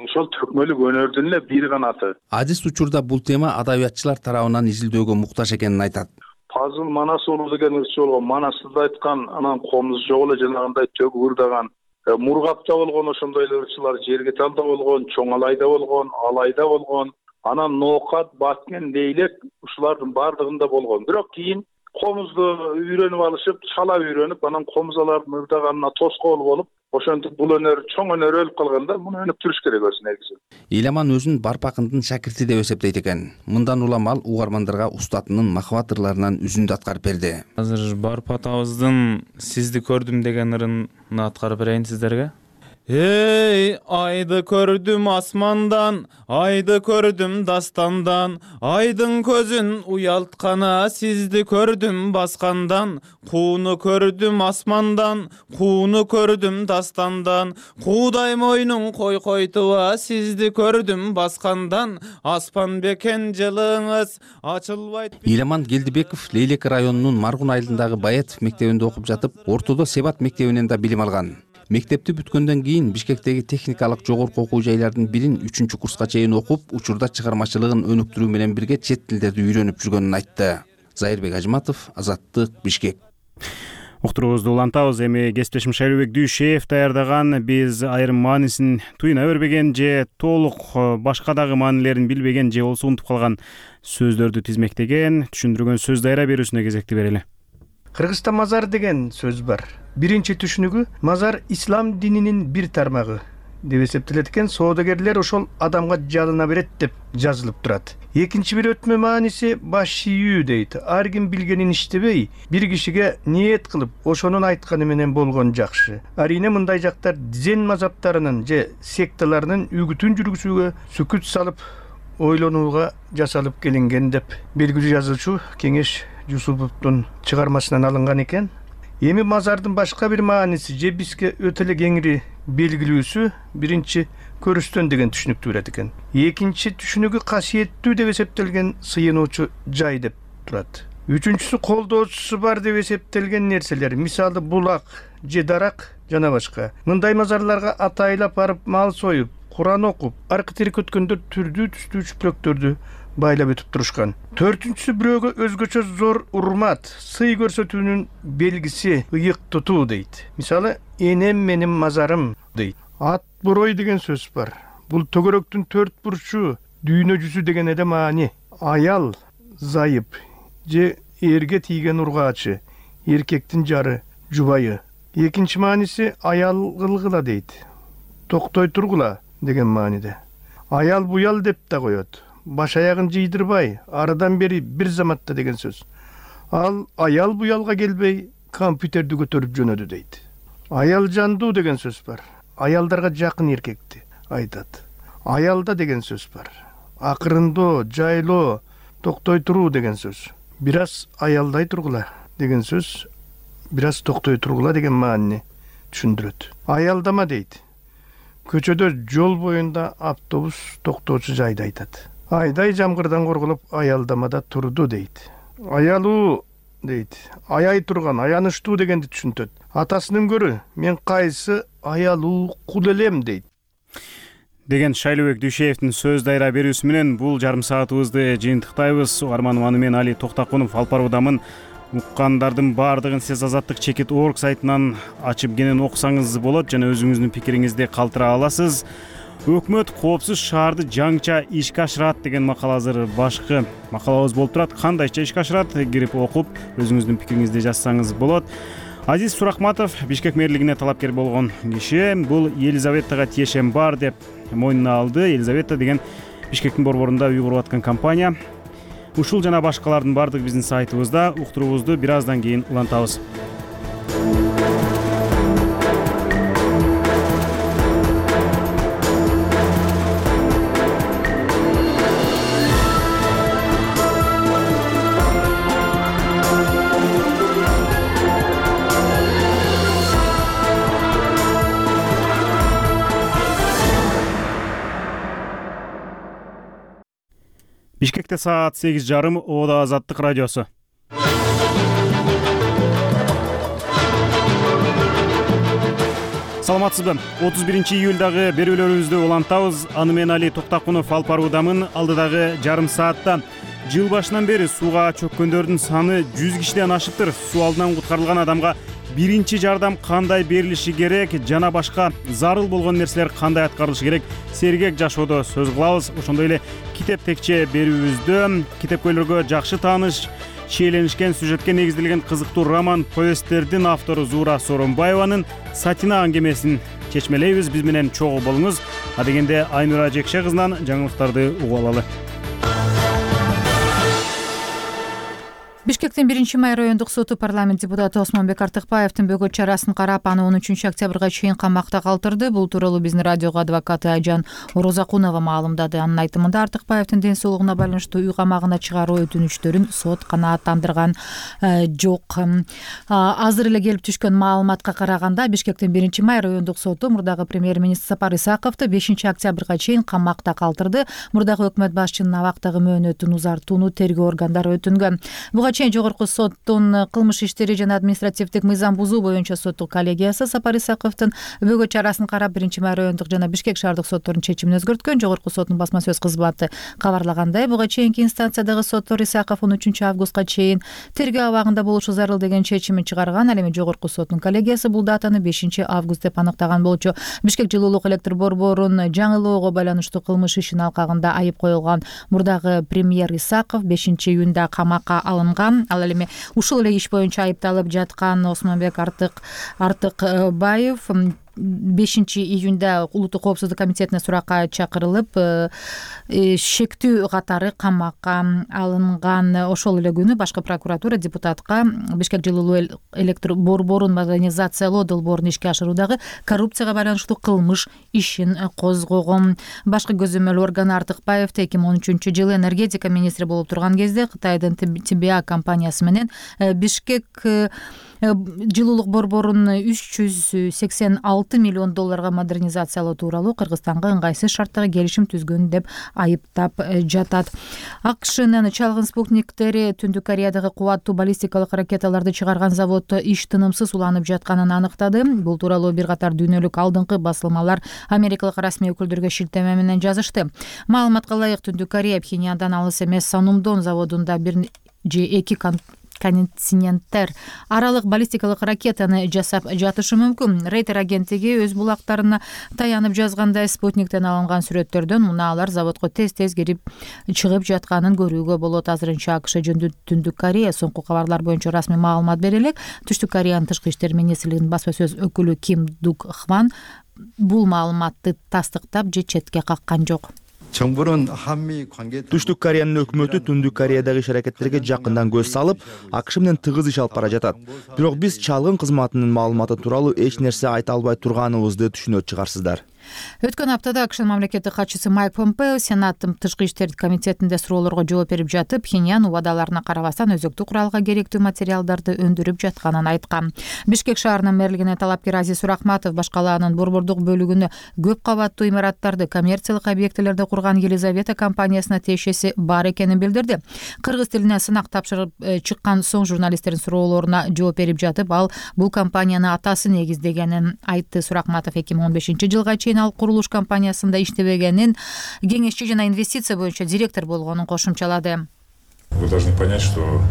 ошол төкмөлүк өнөрдүн эле бир канаты. Азиз учурда бул тема адабиятчылар тарабынан изилдөөгө муктаж экенин айтат. Пазыл Манас уулу деген ырчы болгон, Манасты айткан, анан комуз жок эле жанагындай төгүп ырдаган. Мургапта болгон ошондой эле ырчылар, Жергеталда болгон, Чоңалайда болгон, Алайда болгон, анан Ноокат, Баткен, Лейлек ушулардын бардыгында болгон. Бирок кийин комузду үйрөнүп алышып, чала үйрөнүп, анан комузалардын ырдаганына тоскоол болуп, ошентип бул өнөр, чоң өнөр өлүп калганда муну өнүктүрүш керек өзү негизи. Иламан өзүн Барп акындын шакирти деп эсептейт экен. Мындан улам ал угармандарга устатынын махабат ырларынан үзүндү аткарып берди. Азыр Барп атабыздын Сизди көрдүм деген ырын аткарып берейин сиздерге. Эй, айды көрдүм асмандан, айды көрдүм дастандан, айдын көзүн уялткана сизди көрдүм баскандан, кууну көрдүм асмандан, кууну көрдүм дастандан, куудай мойнуң койкойтуба сизди көрдүм баскандан, аспан бекен жылыңыз ачылбайт. Иламан Келдибеков Лейлек районунун Маргун айылындагы Баятов мектебинде окуп жатып, ортодо Себат мектебинен да билим алган. Мектепти бүткөндөн кийин Бишкектеги техникалык жогорку окуу жайлардын бирин 3 курска чейин окуп, учурда чыгармачылыгын өнүктүрүү менен бирге чет тилдерди үйрөнүп жүргөнүн айтты. Зайырбек Ажматов, Азаттык, Бишкек. Уктуруубузду улантабыз. Эми кесиптешим Шайлообек Дүйшеев даярдаган «Биз айрым маанисин туюна бербеген же толук башка дагы маанилерин билбеген же болсо унутуп калган сөздөрдү тизмектеген, түшүндүргөн сөз дайра берүүсүнө кезекти берели. Кыргызста мазар деген сөз бар. Биринчи түшүнүгү мазар ислам дининин бир тармагы деп эсептелет экен. Соодагерлер ошол адамга жалына берет деп жазылып турат. Экинчи бир өтмө мааниси баш ийүү дейт. Ар ким билгенин иштебей, бир кишиге ниет кылып, ошонун айтканы менен болгон жакшы. Арине мындай жактар дзен мазаптарынын же секталарынын үгүтүн жүргүзүүгө сүкүт салып, ойлонууга жасалып келинген деп белгилүү жазуучу Кеңеш Жусуповдун чыгармасынан алынган экен. Эми мазардын башка бир мааниси же бизге өтө эле кеңири белгилүүсү биринчи көрүстөн деген түшүнүктү берет экен. Экинчи түшүнүгү касиеттүү деп эсептелген сыйынуучу жай деп турат. Үчүнчүсү колдоочусу бар деп эсептелген нерселер, мисалы булак же дарак жана башка. Мындай мазарларга атайлап барып мал союп, Куран окуп, аркы тирик өткөндөр түрдүү түстүү чүплөктөрдү байлап өтүп турушкан. Төртүнчүсү бирөөгө өзгөчө зор урмат, сый көрсөтүүнүн белгиси ыйык тутуу дейт. Мисалы, энем менин мазарым дейт. Ат борой деген сөз бар. Бул төгөрөктүн төрт бурчу, дүйнө жүзү деген эле маани. Аял, зайып же эрге тийген ургаачы, эркектин жары, жубайы. Экинчи мааниси аял кылгыла дейт. Токтой тургула деген мааниде. Аял буял деп да коет. Баш аягын жыйдырбай, арадан бери бир заматта деген сөз. Ал аял буялга келбей, компьютерди көтөрүп жөнөдү дейт. Аял жандуу деген сөз бар. Аялдарга жакын эркекти айтат. Аялда деген сөз бар. Акырындоо, жайлоо, токтой туруу деген сөз. Бир аз аялдай тургула деген сөз, бир аз токтой тургула деген маанини түшүндүрөт. Аялдама дейт. Көчөдө жол боюнда автобус токтоочу жайды айтат. Айдай жамгырдан корголуп аялдамада турду дейт. Аялуу дейт. Аяй турган, аянычтуу дегенди түшүнтөт. Атасынын көрү, мен кайсы аялуу кул элем дейт. Деген Шайлообек Дүйшеевдин сөз дайра берүүсү менен бул жарым саатыбызды жыйынтыктайбыз. Угарман мен Али Токтакунов алып баруудамын. Уккандардын баардыгын сиз Азаттык Чекит.org сайтынан ачып кенен окусаңыз болот жана өзүңүздүн пикириңизди калтыра аласыз. Өкмөт коопсуз шаарды жаңча ишке ашырат деген макала азыр башкы макалабыз болуп турат. Кандайча ишке ашырат, кирип окуп өзүңүздүн пикириңизди жазсаңыз болот. Азиз Сурахматов Бишкек мэрлигине талапкер болгон киши. Бул Елизаветага тиешем бар деп мойнуна алды. Елизавета деген Бишкектин борборунда үй куруп аткан компания. Ушул жана башкалардын бардыгы биздин сайтыбызда. Уктуруубузду бир аздан кийин улантабыз. Бишкекте саат 8:30. Ода Азаттык радиосу. Саламатсызбы? 31-июлдагы берүүлөрүбүздү улантабыз. Аны менен Али Токтакунов алып баруудамын. Алдыдагы жарым саатта жыл башынан бери сууга чөккөндөрдүн саны 100 кишиден ашыптыр. Суу алдынан куткарылган адамга биринчи жардам кандай берилиши керек жана башка зарыл болгон нерселер кандай аткарылышы керек сергек жашоодо сөз кылабыз. Ошондой эле китеп текче берүүбүздө китепкөйлөргө жакшы тааныш чиеленишкен сюжетке негизделген кызыктуу роман повесттердин автору Зуура Сооронбаеванын Сатина аңгемесин чечмелейбиз. Биз менен чогуу болуңуз. Адегенде Айнура Жекше кызынан жаңылыктарды угуп алалы. Бишкектин 1-май райондук соту парламент депутаты Осмонбек Артыкбаевдин бөгөт чарасын карап, аны 13-октябрга чейин камакта калтырды. Бул тууралуу биздин радиого адвокаты Айжан Орозакунова маалымдады. Анын айтымында Артыкбаевдин ден соолугуна байланыштуу үй камагына чыгаруу өтүнүчтөрүн сот канааттандырган жок. Азыр эле келип түшкөн маалыматка караганда Бишкектин 1-май райондук соту мурдагы премьер-министр Сапар Исаковду 5-октябрга чейин камакта калтырды. Мурдагы өкмөт башчынын абактагы мөөнөтүн узартууну тергөө органдары өтүнгөн. Буга чейин Жогорку соттун кылмыш иштери жана административдик мыйзам бузуу боюнча соттук коллегиясы Сапар Исаковдун бөгөт чарасын карап 1-май райондук жана Бишкек шаардык соттордун чечимин өзгөрткөн. Жогорку соттун басма сөз кызматы кабарлагандай, буга чейинки инстанциядагы соттор Исаков 13-августка чейин тергөө абагында болушу зарыл деген чечимин чыгарган. Ал эми Жогорку соттун коллегиясы бул датаны 5-август деп аныктаган болчу. Бишкек жылуулук электр борборун жаңылоого байланыштуу кылмыш ишин алкагында айып коюлган мурдагы премьер Исаков 5-июнда камакка алынган. Ал эми ушул эле иш боюнча айыпталып жаткан Осмонбек Артыкбаев 5-июнда улуттук коопсуздук комитетине суракка чакырылып, шектүү катары камакка алынган. Ошол эле күнү башкы прокуратура депутатка Бишкек жылуулук электр борборун модернизациялоо долбоорун ишке ашыруудагы коррупцияга байланыштуу кылмыш ишин козгогон. Башкы көзөмөл орган Артыкбаевди 2013-жылы энергетика министри болуп турган кезде Кытайдын ТБА компаниясы менен Бишкек жылуулук борборун 386 миллион долларга модернизациялоо тууралуу Кыргызстанга ыңгайсыз шарттагы келишим түзгөн деп айыптап жатат. АКШнын чалгын спутниктери Түндүк Кореядагы кубаттуу баллистикалык ракеталарды чыгарган заводдо иш тынымсыз уланып жатканын аныктады. Бул тууралуу бир катар дүйнөлүк алдыңкы басылмалар америкалык расмий өкүлдөргө шилтеме менен жазышты. Маалыматка ылайык, Түндүк Корея Пхеньяндан алыс эмес Санумдон заводунда 1 же 2 континенттер аралык баллистикалык ракетаны жасап жатышы мүмкүн. Рейтер агенттиги өз булактарына таянып жазгандай, спутниктен алынган сүрөттөрдөн муналар заводко тез-тез кирип чыгып жатканын көрүүгө болот. Азырынча АКШ жөнүндө Түндүк Корея соңку кабарлар боюнча расмий маалымат бере элек. Түштүк Кореянын тышкы иштер министрлигинин басма сөз өкүлү Ким Дук Хван бул маалыматты тастыктап же четке каккан жок. Түштүк Кореянын өкмөтү Түндүк Кореядагы иш-аракеттерге жакындан көз салып, АКШ менен тыгыз иш алып бара жатат. Бирок биз чалгын кызматынын маалыматы тууралуу эч нерсе айта албай турганыбызды түшүнөт чыгарсыздар. Өткөн аптада АКШнын мамлекеттик катчысы Майк Помпео Сенаттын тышкы иштер комитетинде суроолорго жооп берип жатып, Пхеньян убадаларына карабастан өзөктү куралга керектүү материалдарды өндүрүп жатканын айткан. Бишкек шаарынын мэрлигине талапкер Азиз Урахматов башкалаанын борбордук бөлүгүнө көп кабаттуу имараттарды коммерциялык объектилерде курган Елизавета компаниясына тиешеси бар экенин билдирди. Кыргыз тилине сынак тапшырып чыккан соң журналисттердин суроолоруна жооп берип жатып, ал бул компанияны атасы негиздегенин айтты. Урахматов 2015-жылга чейин ал курулуш компаниясында иштебегенин, кеңешчи жана инвестиция боюнча директор болгонун кошумчалады. Вы должны понять, что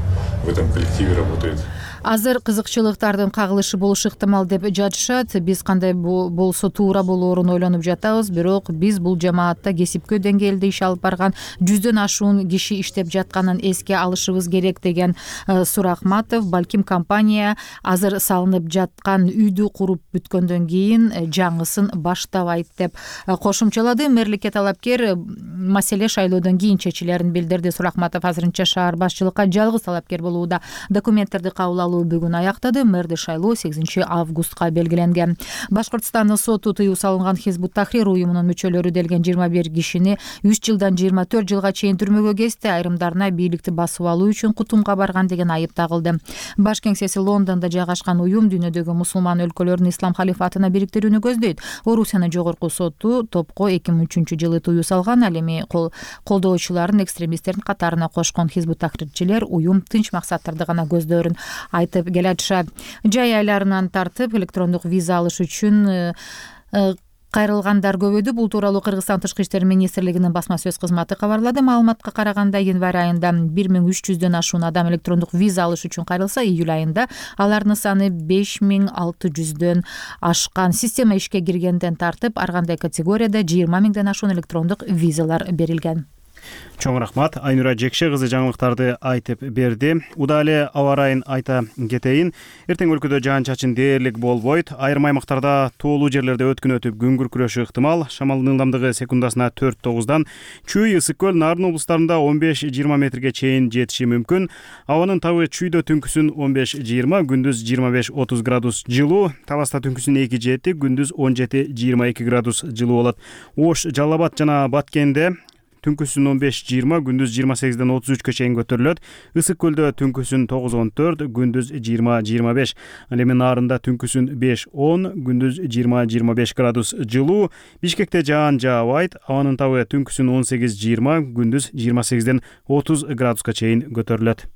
в этом коллективе работает. Азыр кызыкчылыктардын кагылышы болушу ыктымал деп жатышат. Биз кандай болсо туура болоорун ойлонуп жатабыз, бирок биз бул жамаатта кесипкөө деңгээлде иш алып барган 100дөн ашуун киши иштеп жатканын эске алышыбыз керек деген Сурахматов. Балким компания азыр салынып жаткан үйдү куруп бүткөндөн кийин жаңысын баштабайт деп кошумчалады. Мэрликке талапкер маселе шайлоодон кийин чечилерин билдирди. Сурахматов азырынча шаар башчылыкка жалгыз талапкер болууда. Документтерди кабыл алуу шайлоо бүгүн аяктады. Мэрди шайлоо 8 августка белгиленген. Башкыртстандын соту тыюу салынган Хизбут Тахрир уюмунун мүчөлөрү делген 21 кишини 3 жылдан 24 жылга чейин түрмөгө кести. Айрымдарына бийликти басып алуу үчүн кутумга барган деген айып тагылды. Баш кеңсеси Лондондо жайгашкан уюм дүйнөдөгү мусулман өлкөлөрдүн ислам халифатына бириктирүүнү көздөйт. Орусиянын жогорку соту топко 2003-жылы тыюу салган. Ал эми колдоочуларын экстремисттердин катарына кошкон Хизбут Тахрирчилер уюм тынч максаттарды гана көздөрүн айтып келатышат. Жай айларынан тартып электрондук виза алыш үчүн кайрылгандар көбөйдү. Бул тууралуу Кыргызстан Тышкы иштер министрлигинин басма сөз кызматы кабарлады. Маалыматка караганда январь айында 1300дөн ашуун адам электрондук виза алыш үчүн кайрылса, июль айында алардын саны 5600дөн ашкан. Система ишке киргенден тартып ар кандай категорияда 20 000ден ашуун электрондук визалар берилген. Чоң рахмат. Айнура Жекше кызы жаңылыктарды айтып берди. Уда эле аба ырайын айта кетейин. Эртең өлкөдө жаан-чачын дээрлик болбойт. Айрым аймактарда тоолуу жерлерде өткүн өтүп күн күркүрөшү ыктымал. Шамалдын ылдамдыгы секундасына 4-9дан Чүй, Ысык көл, Нарын облустарында 15-20 метрге чейин жетиши мүмкүн. Абанын табы Чүйдө түнкүсүн 15-20, күндүз 25-30 градус жылуу. Таласта түнкүсүн 2-7, күндүз 17-22 градус жылуу болот. Ош, Жалал Абад жана Баткенде түнкүсүн 15-20, күндүз 28-ден 33-кө чейин көтөрүлөт. Ысык көлдө түнкүсүн 9-14, күндүз 20-25. Ал эми Нарында түнкүсүн 5-10, күндүз 20-25 градус жылуу. Бишкекте жаан жаабайт. Абанын табы түнкүсүн 18-20, күндүз 28-ден 30 градуска чейин көтөрүлөт.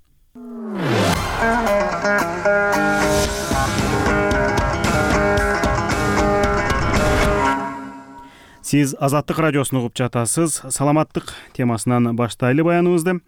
Сиз Азаттык радиосун угуп жатасыз. Саламаттык темасынан баштайлы баяныбызды.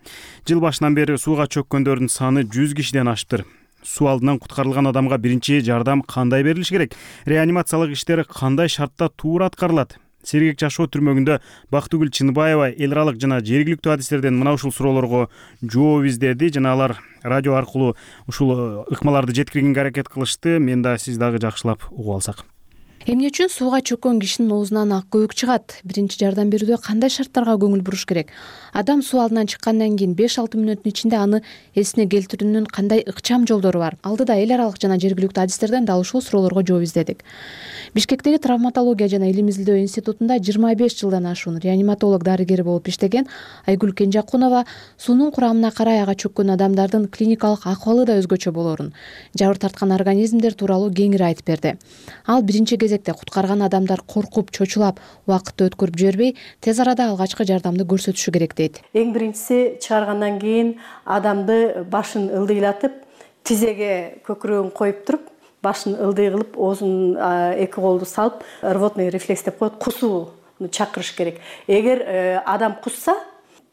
Жыл башынан бери сууга чөккөндөрдүн саны 100 кишиден ашыптыр. Суу алдынан куткарылган адамга биринчи жардам кандай берилиш керек? Реанимациялык иштер кандай шартта туура аткарылат? Сергек жашоо түрмөгүндө Бактыгүл Чыныбаева эл аралык жана жергиликтүү адистерден мына ушул суроолорго жооп издеди жана алар радио аркылуу ушул ыкмаларды жеткиргенге аракет кылышты. Мен да сиз дагы жакшылап угуп алсак. Эмне үчүн сууга чөккөн кишинин оозунан ак көбүк чыгат? Биринчи жардам берүүдө кандай шарттарга көңүл буруш керек? Адам суу алдынан чыккандан кийин 5-6 мүнөттүн ичинде аны эсине келтирүүнүн кандай ыкчам жолдору бар? Алдыда эл аралык жана жергиликтүү адистерден дал ушул суроолорго жооп издедик. Бишкектеги травматология жана илим изилдөө институтунда 25 жылдан ашуун реаниматолог дарыгер болуп иштеген Айгүл Кенжакунова суунун курамына карай ага чөккөн адамдардын клиникалык акыбалы да өзгөчө болорун, жабыр тарткан организмдер тууралуу кеңири айтып берди. Ал биринчи кезекте куткарган адамдар коркуп, чочулап, убакытты өткөрүп жибербей, тез арада алгачкы жардамды көрсөтүшү керек дейт. Эң биринчиси чыгаргандан кийин адамды башын ылдыйлатып, тизеге көкүрөгүн коюп туруп, башын ылдый кылып, оозун эки колду салып, рвотный рефлекс деп коет, кусууну чакырыш керек. Эгер адам кусса,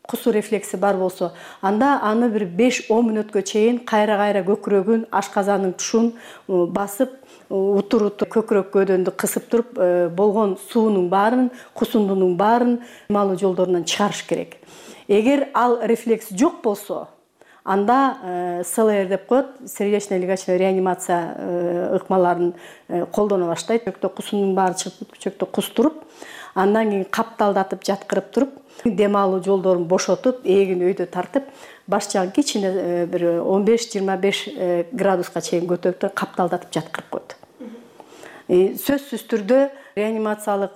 кусуу рефлекси бар болсо, анда аны бир 5-10 мүнөткө чейин кайра көкүрөгүн, ашказанын тушун басып, утур көкүрөк көөдөндү кысып туруп, болгон суунун баарын, кусундунун баарын малуу жолдорунан чыгарыш керек. Эгер ал рефлекс жок болсо, анда СЛР деп коет, сердечно-легочная реанимация ыкмаларын колдоно баштайт. Көчөктө кусундун баары чыгып, көчөктө кустуруп, андан кийин капталдатып жаткырып туруп, дем алуу жолдорун бошотуп, эгин өйдө тартып, баш жагын кичине бир 15-25 градуска чейин көтөрүп капталдатып жаткырып коет. Сөзсүз түрдө реанимациялык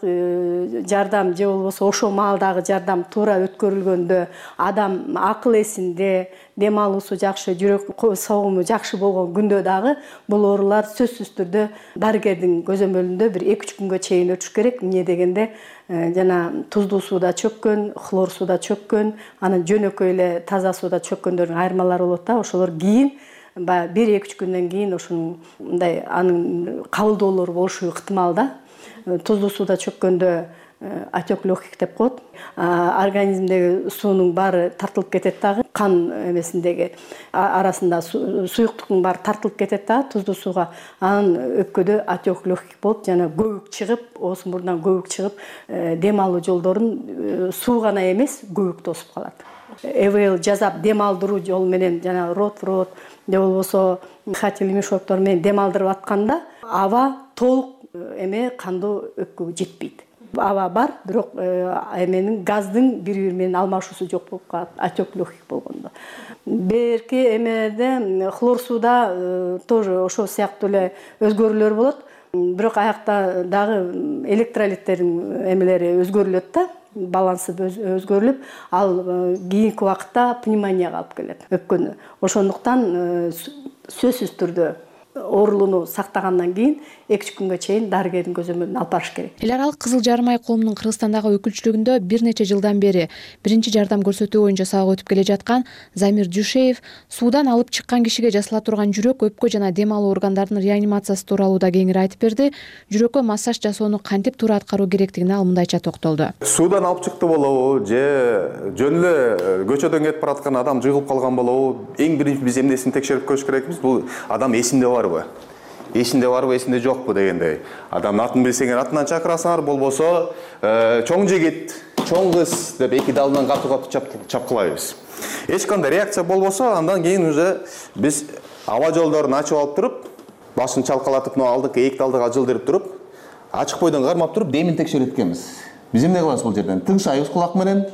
жардам же болбосо ошол маалдагы жардам туура өткөрүлгөндө, адам акыл эсинде, дем алуусу жакшы, жүрөк согуму жакшы болгон күндө дагы бул оорулар сөзсүз түрдө дарыгердин көзөмөлүндө бир 2-3 күнгө чейин өтүш керек. Эмне дегенде жана туздуу сууда чөккөн, хлор сууда чөккөн, анан жөнөкөй эле таза сууда чөккөндөрдүн айырмалары болот да. Ошолор кийин 1-2 күндөн кийин ошонун мындай анын кабылдоолору болушу ыктымал да. Туздуу сууда чөккөндө отек легких деп коет. Организмдеги суунун баары тартылып кетет дагы. Кан эмесиндеги арасында суюктуктун баары тартылып кетет дагы туздуу сууга. Анан өпкөдө отек легких болуп, жана көбүк чыгып, ооз мурундан көбүк чыгып, дем алуу жолдорун суу гана эмес, көбүк тосуп калат. ЭВЛ жасап дем алдыруу жол менен жана рот в рот же болбосо дыхательный мешоктор менен дем алдырып атканда аба толук кандуу өпкөгө жетпейт. аба бар, бирок эменин газдын бири-бири менен алмашуусу жок болуп калат, отек легких болгондо. Берки эмеде хлор сууда тоже ошол сыяктуу эле өзгөрүүлөр болот. Бирок аякта дагы электролиттердин эмелери өзгөрүлөт да, балансы өзгөрүлүп, ал кийинки убакытта пневмонияга алып келет өпкөнү. Ошондуктан сөзсүз түрдө оорулууну сактагандан кийин 2 күнгө чейин дарыгердин көзөмөлүнө алып барыш керек. Эл аралык Кызыл Жарым ай коомунун Кыргызстандагы өкүлчүлүгүндө бир нече жылдан бери биринчи жардам көрсөтүү боюнча сабак өтүп келе жаткан Замир Дюшеев суудан алып чыккан кишиге жасала турган жүрөк, өпкө жана дем алуу органдарынын реанимациясы тууралуу да кеңири айтып берди. Жүрөккө массаж жасоону кантип туура аткаруу керектигине ал мындайча токтолду. Суудан алып чыкты болобу же жөн эле көчөдөн кетип бараткан адам жыгылып калган болобу? Эң биринчи биз эмнесин текшерип көрүш керекпиз? Бул адам эсинде барбы? Эсинде жокпу дегендей. Адамдын атын билсеңер атынан чакырасыңар, болбосо чоң жигит, чоң кыз деп эки далынан катуу чапкылайбыз. Эч кандай реакция болбосо, андан кийин уже биз аба жолдорун ачып алып туруп, башын чалкалатып, алдыңкы эки далдыга жылдырып туруп, ачык бойдон кармап туруп, демин текшерет экенбиз. Биз эмне кылабыз бул жерден? Тыңшайбыз кулак менен,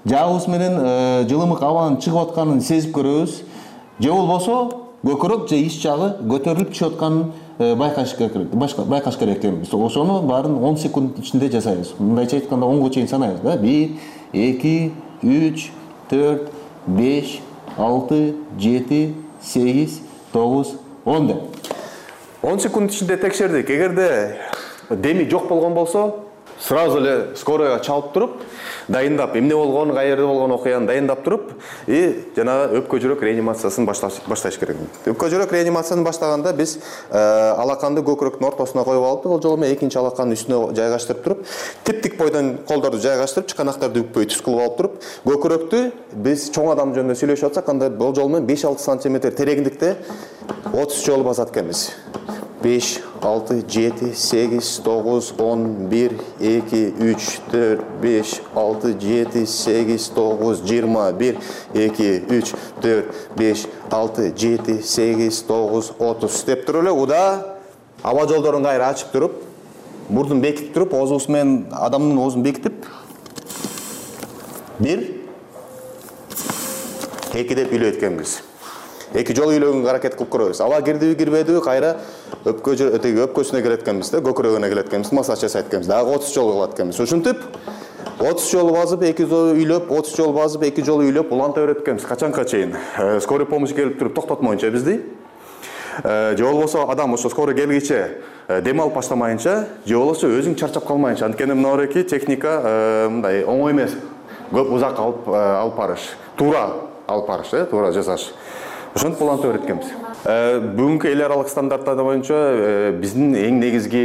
жаагыбыз менен жылымык абанын чыгып атканын сезип көрөбүз. Же болбосо көкүрөк же ич жагы көтөрүлүп түшүп атканын байкаш керек экенбиз. Ошону баарын 10 секунд ичинде жасайбыз. Мындайча айтканда 10го чейин санайбыз да. 1, 2, 3, 4, 5, 6, 7, 8, 9, 10 деп. 10 секунд ичинде текшердик. Эгерде деми жок болгон болсо, сразу эле скоройго чалып туруп, дайындап, эмне болгон, каерде болгон окуяны дайындап туруп, жана өпкө жүрөк реанимациясын башташ керек. Өпкө жүрөк реанимациясын баштаганда биз алаканды көкүрөктүн ортосуна коюп алып, ол жолу менен экинчи алаканын үстүнө жайгаштырып туруп, тип-тик бойдон колдорду жайгаштырып, чыканактарды бүкпөй түз кылып алып туруп, көкүрөктү биз чоң адам жөнүндө сүйлөшүп атсак, анда бул жолу менен 5-6 см тереңдикте 30 жолу басат экенбиз. 5, 6, 7, 8, 9, 10, 1, 2, 3, 4, 5, 6, 7, 8, 9, 20, 1, 2, 3, 4, 5, 6, 7, 8, 9, 30 деп туруп эле уда аба жолдорун кайра ачып туруп, мурдун бекитип туруп, оозубуз менен адамдын оозун бекитип 1, 2 деп үйлөйт экенбиз. 2 жолу үйлөгөнгө аракет кылып көрөбүз. Аба кирдиби, кирбедиби, кайра өпкөсүнө келет экенбиз да, көкүрөгүнө келет экенбиз, массаж жасайт экенбиз. Дагы 30 жолу кылат экенбиз. Ушинтип 30 жолу басып, 2 жолу үйлөп, 30 жолу басып, 2 жолу үйлөп, уланта берет экенбиз. Качанга чейин? Скорый помощь келип туруп токтотмоюнча бизди. Же болбосо адам ошо скорый келгиче дем алып баштамайынча, же болбосо өзүң чарчап калмайынча. Анткени мынабеки техника мындай оңой эмес. Көп узак алып барыш, туура алып барыш, туура жасаш. Ошентип уланта берет экенбиз. Бүгүнкү эл аралык стандарттар боюнча биздин эң негизги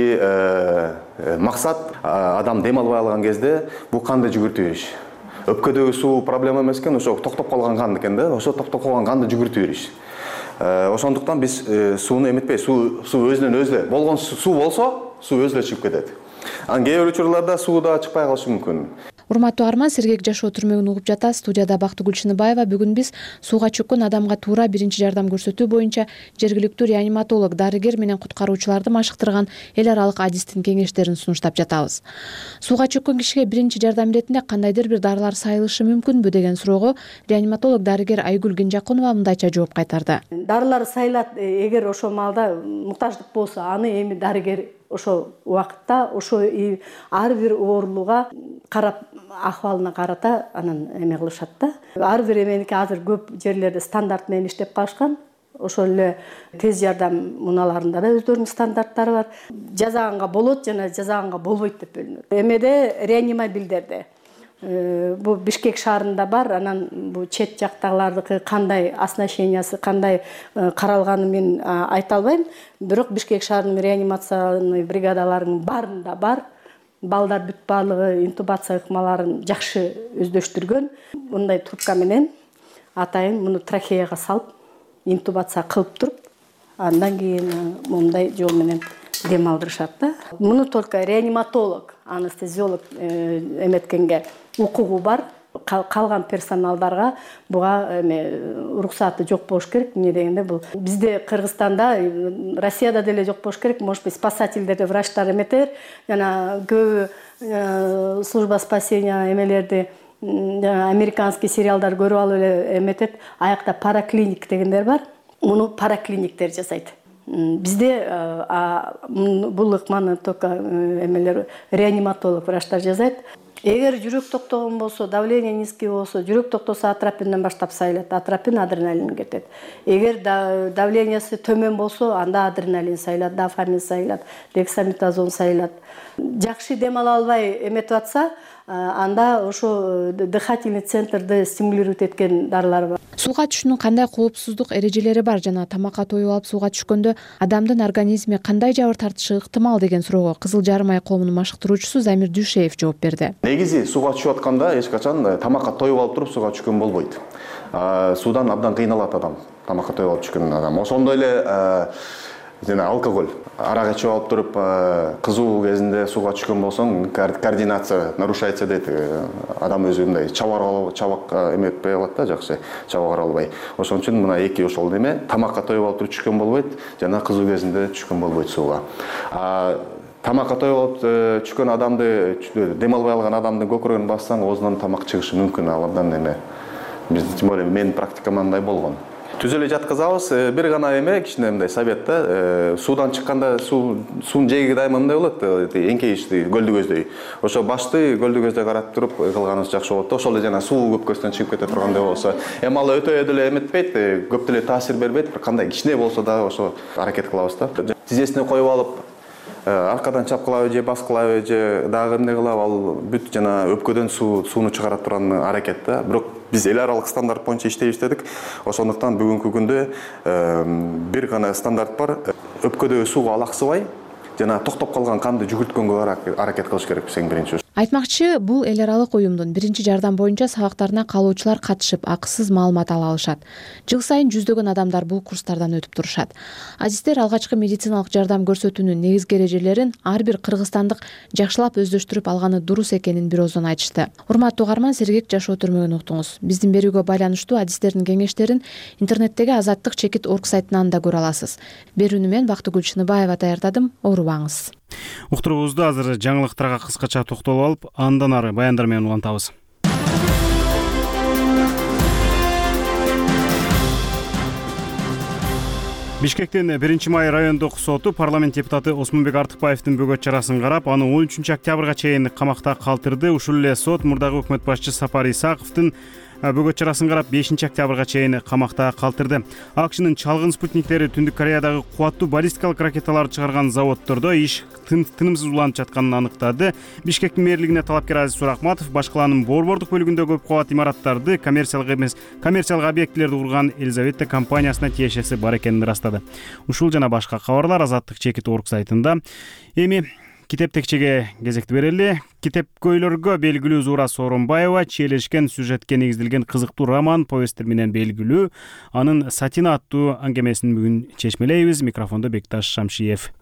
максат адам дем албай калган кезде бул канды жүгүртүп бериш. Өпкөдөгү суу проблема эмес экен, ошо токтоп калган кан экен да, ошо токтоп калган канды жүгүртүп бериш. Ошондуктан биз сууну эметпей, суу өзүнөн өзү болгон суу болсо, суу өзү чыгып кетет. Кээ бир учурларда суу да чыкпай калышы мүмкүн. Урматтуу Арман, сергек жашоо түрмөгүн угуп жатасыз. Студияда Бактыгүл Чыныбаева. Бүгүн биз сууга чөккөн адамга туура биринчи жардам көрсөтүү боюнча жергиликтүү реаниматолог, дарыгер менен куткаруучуларды машыктырган эл аралык адистин кеңештерин сунуштап жатабыз. Сууга чөккөн кишиге биринчи жардам иретинде кандайдыр бир дарылар сайылышы мүмкүнбү деген суроого реаниматолог дарыгер Айгүл Кенжакунова мындайча жооп кайтарды. Дарылар сайылат, эгер ошол маалда муктаждык болсо, аны эми дарыгер ошол убакытта ошо ар бир оорулууга карап, акыбалына карата анан эме кылышат да. Ар бир эменики азыр көп жерлерде стандарт менен иштеп калышкан. Ошол эле тез жардам муналарында да өздөрүнүн стандарттары бар. Жазаганга болот жана жазаганга болбойт деп бөлүнөт. Эмеде реанимобилдерде бу Бишкек шаарында бар, анан бу чет жактагылардыкы кандай оснащениясы, кандай каралганын мен айта албайм. Бирок Бишкек шаарынын реанимационный бригадаларынын баарында бар. Балдар бүт баардыгы интубация ыкмаларын жакшы өздөштүргөн. Мындай трубка менен атайын муну трахеяга салып, интубация кылып туруп, андан кийин мындай жол менен дем алдырышат да. Муну только реаниматолог, анестезиолог эметкенге укугу бар. калган персоналдарга буга уруксаты жок болуш керек. Эмне дегенде бул бизде Кыргызстанда, Россияда деле жок болуш керек. Может быть, спасательдерди врачтар эметер, жана көбү служба спасения эмелерди американский сериалдар көрүп алып эле эметет. Аякта параклиник дегендер бар. Муну параклиниктер жасайт. Бизде бул ыкманы только эмелер реаниматолог врачтар жасайт. Эгер жүрөк токтогон болсо, давление низкий болсо, жүрөк токтосо атропинден баштап сайылат. Атропин адреналин кетет. Эгер давлениясы төмөн болсо, анда адреналин сайылат, дофамин сайылат, дексаметазон сайылат. Жакшы дем ала албай эметип атса, анда ошо дыхательный центрди стимулировать эткен дарылар бар. Сууга түшүүнүн кандай коопсуздук эрежелери бар жана тамакка тоюп алып сууга түшкөндө адамдын организми кандай жабыр тартышы ыктымал деген суроого Кызыл Жарым ай коомунун машыктыруучусу Замир Дүйшеев жооп берди. Негизи сууга түшүп атканда эч качан тамакка тоюп алып туруп сууга түшкөн болбойт. Суудан абдан кыйналат адам, тамакка тоюп алып түшкөн адам. Ошондой эле жана алкоголь, арак ичип алып туруп кызуу кезинде сууга түшкөн болсоң, координация нарушается дейт. Адам өзү мындай чабак эметпей алат да, жакшы чабак албай. Ошон үчүн мына эки ошол неме тамакка тоюп алып туруп түшкөн болбойт, жана кызуу кезинде түшкөн болбойт сууга. Тамакка тоюп алып түшкөн адамды, дем албай алган адамдын көкүрөгүн бассаң, оозунан тамак чыгышы мүмкүн. Ал абдан эме. Биз тем более менин практикамда мындай болгон. Түз эле жаткызабыз. Бир гана эме кичине мындай совет да. Суудан чыкканда суунун жээги дайыма мындай болот, эңкейишти, көлдү көздөй. Ошо башты көлдү көздөй карап туруп кылганыбыз жакшы болот да. Ошол эле жана суу көп көздөн чыгып кете тургандай болсо, эми ал өтө деле эметпейт, көп деле таасир бербейт. Бир кандай кичине болсо дагы ошо аракет кылабыз да. Тизесине коюп алып, аркадан чапкылабы же баскылабы же дагы эмне кылабы, ал бүт жана өпкөдөн сууну чыгара турган аракет да. Бирок биз эл аралык стандарт боюнча иштейбиз дедик. Ошондуктан бүгүнкү күндө бир гана стандарт бар. Өпкөдөгү сууга алаксыбай жана токтоп калган канды жүгүрткөнгө аракет кылыш керек эң биринчи. Айтмакчы, бул эл аралык уюмдун биринчи жардам боюнча сабактарына калуучулар катышып, акысыз маалымат ала алышат. Жыл сайын жүздөгөн адамдар бул курстардан өтүп турушат. Азиздер алгачкы медициналык жардам көрсөтүүнүн негизги эрежелерин ар бир кыргызстандык жакшылап өздөштүрүп алганы дурус экенин бир ооздон айтышты. Урматтуу угарман, сергек жашоо түрмөгүн уктуңуз. Биздин берүүгө байланыштуу адистердин кеңештерин интернеттеги azadtik.org сайтынан да көрө аласыз. Берүүнү мен Бактыгүл Чыныбаева даярдадым. Оорубаңыз. Уктуруубузду азыр жаңылыктарга кыскача токтолуп алып, андан ары баяндар менен улантабыз. Бишкектин 1-май райондук соту парламент депутаты Осмонбек Артыкбаевдин бөгөт чарасын карап, аны 13 октябрга чейин камакта калтырды. Ушул эле сот мурдагы өкмөт башчысы Сапар Исаковдун бөгөт чарасын карап 5 октябрга чейин камакта калтырды. АКШнын чалгын спутниктери Түндүк Кореядагы кубаттуу баллистикалык ракеталарды чыгарган заводдордо иш тынымсыз уланып жатканын аныктады. Бишкектин мэрлигине талапкер Азиз Сурахматов башкаланын борбордук бөлүгүндө көп кабат имараттарды, коммерциялык эмес, коммерциялык объектилерди курган Елизавета компаниясына тиешеси бар экенин ырастады. Ушул жана башка кабарлар azadtik.org сайтында. Эми китеп текчеге кезекти берели. Китепкөйлөргө белгилүү Зура Сооронбаева чиелешкен сюжетке негизделген кызыктуу роман, повесттер менен белгилүү. Анын Сатина аттуу аңгемесин бүгүн чечмелейбиз. Микрофондо Бекташ Шамшиев.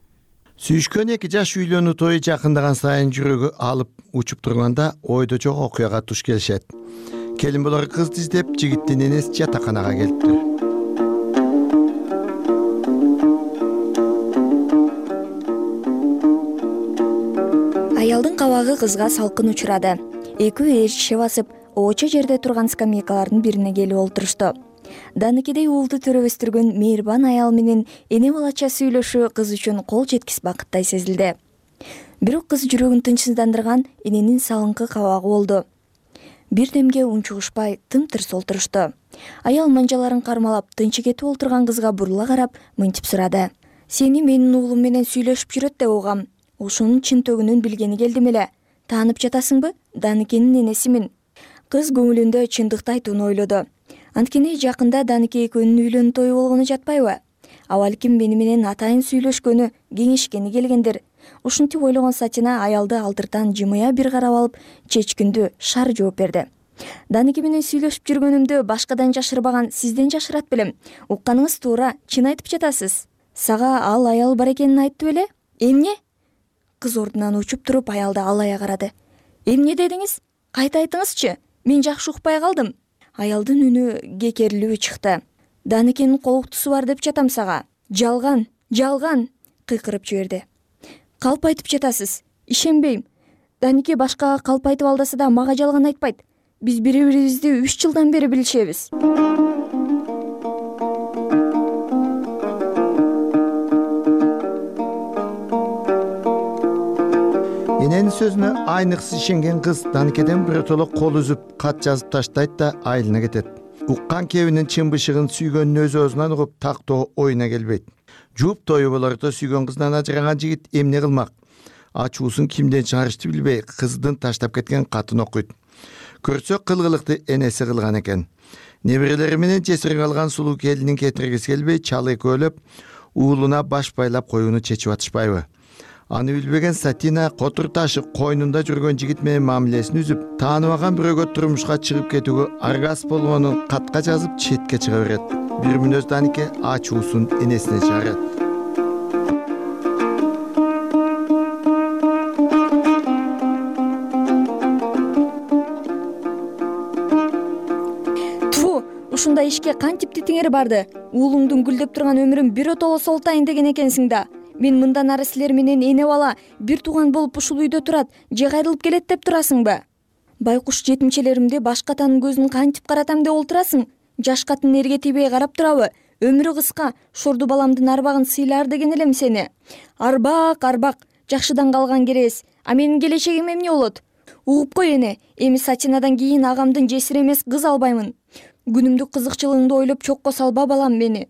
Сүйүшкөн эки жаш үйлөнүү тою жакындаган сайын жүрөгү алып учуп турганда ойдо жок окуяга туш келишет. Келин болор кызды издеп жигиттин энеси жатаканага келиптир. Аялдын кабагы кызга салкын учурады. Экөө ээрчише басып, оочо жерде турган скамейкалардын бирине келип олтурушту. Даныкидей уулду төрөбөстүргөн мейирбан аял менен эне балача сүйлөшүү кыз үчүн кол жеткис бакыттай сезилди. Бирок кыз жүрөгүн тынчсыздандырган эненин салыңкы кабагы болду. Бир демге унчугушпай тым-тырс олтурушту. Аял манжаларын кармалап тынчы кетип олтурган кызга бурула карап мынтип сурады. Сени менин уулум менен сүйлөшүп жүрөт деп угам. Ошонун чынтөгүнүн билгени келдим эле. Таанып жатасыңбы? Даныкенин энесимин. Кыз көңүлүндө чындыкты айтууну ойлоду. Анткени жакында Даныке экөөнүн үйлөнүү тою болгону жатпайбы? Абалким мени менен атайын сүйлөшкөнү, кеңешкени келгендир. Ушинтип ойлогон Сатина аялды алдыртан жымыя бир карап алып, чечкиндүү шар жооп берди. Даныке менен сүйлөшүп жүргөнүмдү башкадан жашырбаган сизден жашырат белем. Укканыңыз туура, чын айтып жатасыз. Сага ал аял бар экенин айтты беле? Эмне? Кыз ордунан учуп туруп аялды алая карады. Эмне дедиңиз? Кайта айтыңызчы? Мен жакшы укпай калдым. Аялдын үнү кекерилүү чыкты. Даникенин колуктусу бар деп жатам сага. Жалган, жалган, кыйкырып жиберди. Калп айтып жатасыз. Ишенбейм. Данике башкага калп айтып алдаса да мага жалган айтпайт. Биз бири-бирибизди 3 жылдан бери билишебиз. Эненин сөзүнө айныксы ишенген кыз Даникеден биротоло кол үзүп, кат жазып таштайт да айылына кетет. Уккан кебинин чын бышыгын сүйгөнүн өзүнөн угуп тактоо оюна келбейт. Жууп тою болордо сүйгөн кызынан ажыраган жигит эмне кылмак? Ачуусун кимден чыгарышты билбей, кыздын таштап кеткен катын окуйт. Көрсө кылгылыкты энеси кылган экен. Неберелери менен жесир калган сулуу келинин кетиргиси келбей, чал экөөлөп уулуна баш байлап коюуну чечип атышпайбы? Аны билбеген Сатина котур ташы койнунда жүргөн жигит менен мамилесин үзүп, тааныбаган бирөөгө турмушка чыгып кетүүгө аргас болгонун катка жазып четке чыга берет. Бир мүнөз Данике ачуусун энесине чыгарат. Ушундай ишке кантип тетиңер барды? Уулуңдун гүлдөп турган өмүрүн биротоло солтайын деген экенсиң да. Мен мындан ары силер менен эне бала бир тууган болуп ушул үйдө турат, же кайрылып келет деп турасыңбы? Байкуш жетимчелеримди баш катанын көзүн кантип каратам деп олтурасың? Жаш катын эрге тийбей карап турабы? Өмүрү кыска, шорду баламдын арбагын сыйлар деген элем сени. Арбак, арбак, жакшыдан калган керес. А менин келечегим эмне болот? Угуп кой эне, эми Сатинадан кийин агамдын жесир эмес кыз албаймын. Күнүмдүк кызыкчылыгыңды ойлоп чокко салба балам мени.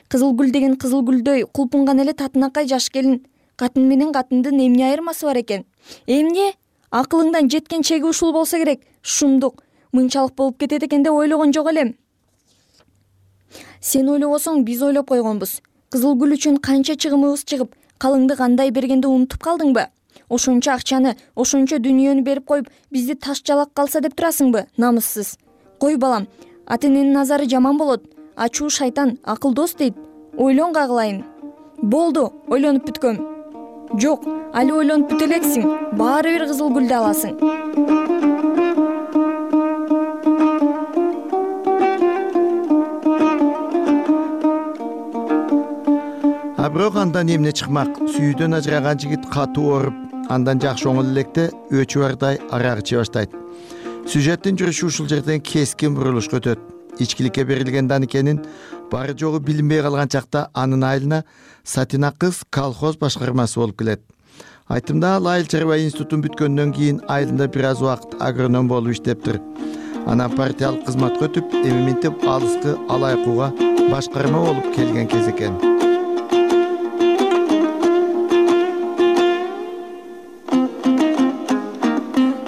Кызыл гүл деген кызыл гүлдөй кулпунган эле татынакай жаш келин. Катын менен катындын эмне айырмасы бар экен? Эмне? Акылыңдан жеткен чеги ушул болсо керек. Шумдук, мынчалык болуп кетет экен деп ойлогон жок элем. Сен ойлобосоң биз ойлоп койгонбуз. Кызыл гүл үчүн канча чыгымыбыз чыгып, калыңды кандай бергенди унутуп калдыңбы? Ошончо акчаны, ошончо дүнүйөнү берип коюп, бизди таш жалак калса деп турасыңбы? Намыссыз. Кой балам, ата-эненин назары жаман болот. Ачуу шайтан акылдос дейт. Ойлон кагылайын. Болду, ойлонуп бүткөм. Жок, али ойлонуп бүтө элексиң. Баары бир кызыл гүлдү аласың. А бирок андан эмне чыкмак? Сүйүүдөн ажыраган жигит катуу ооруп, андан жакшы оңол электе өчү бардай арак иче баштайт. Сюжеттин жүрүшү ушул жерден кескин бурулушка өтөт. Ичкиликке берилген Даникенин бары жогу билинбей калган чакта анын айылына Сатина кыз колхоз башкармасы болуп келет. Айтымда ал айыл чарба институтун бүткөндөн кийин айылында бир аз убакыт агроном болуп иштептир. Анан партиялык кызматка өтүп, эми минтип алыскы алайкууга башкарма болуп келген кез экен.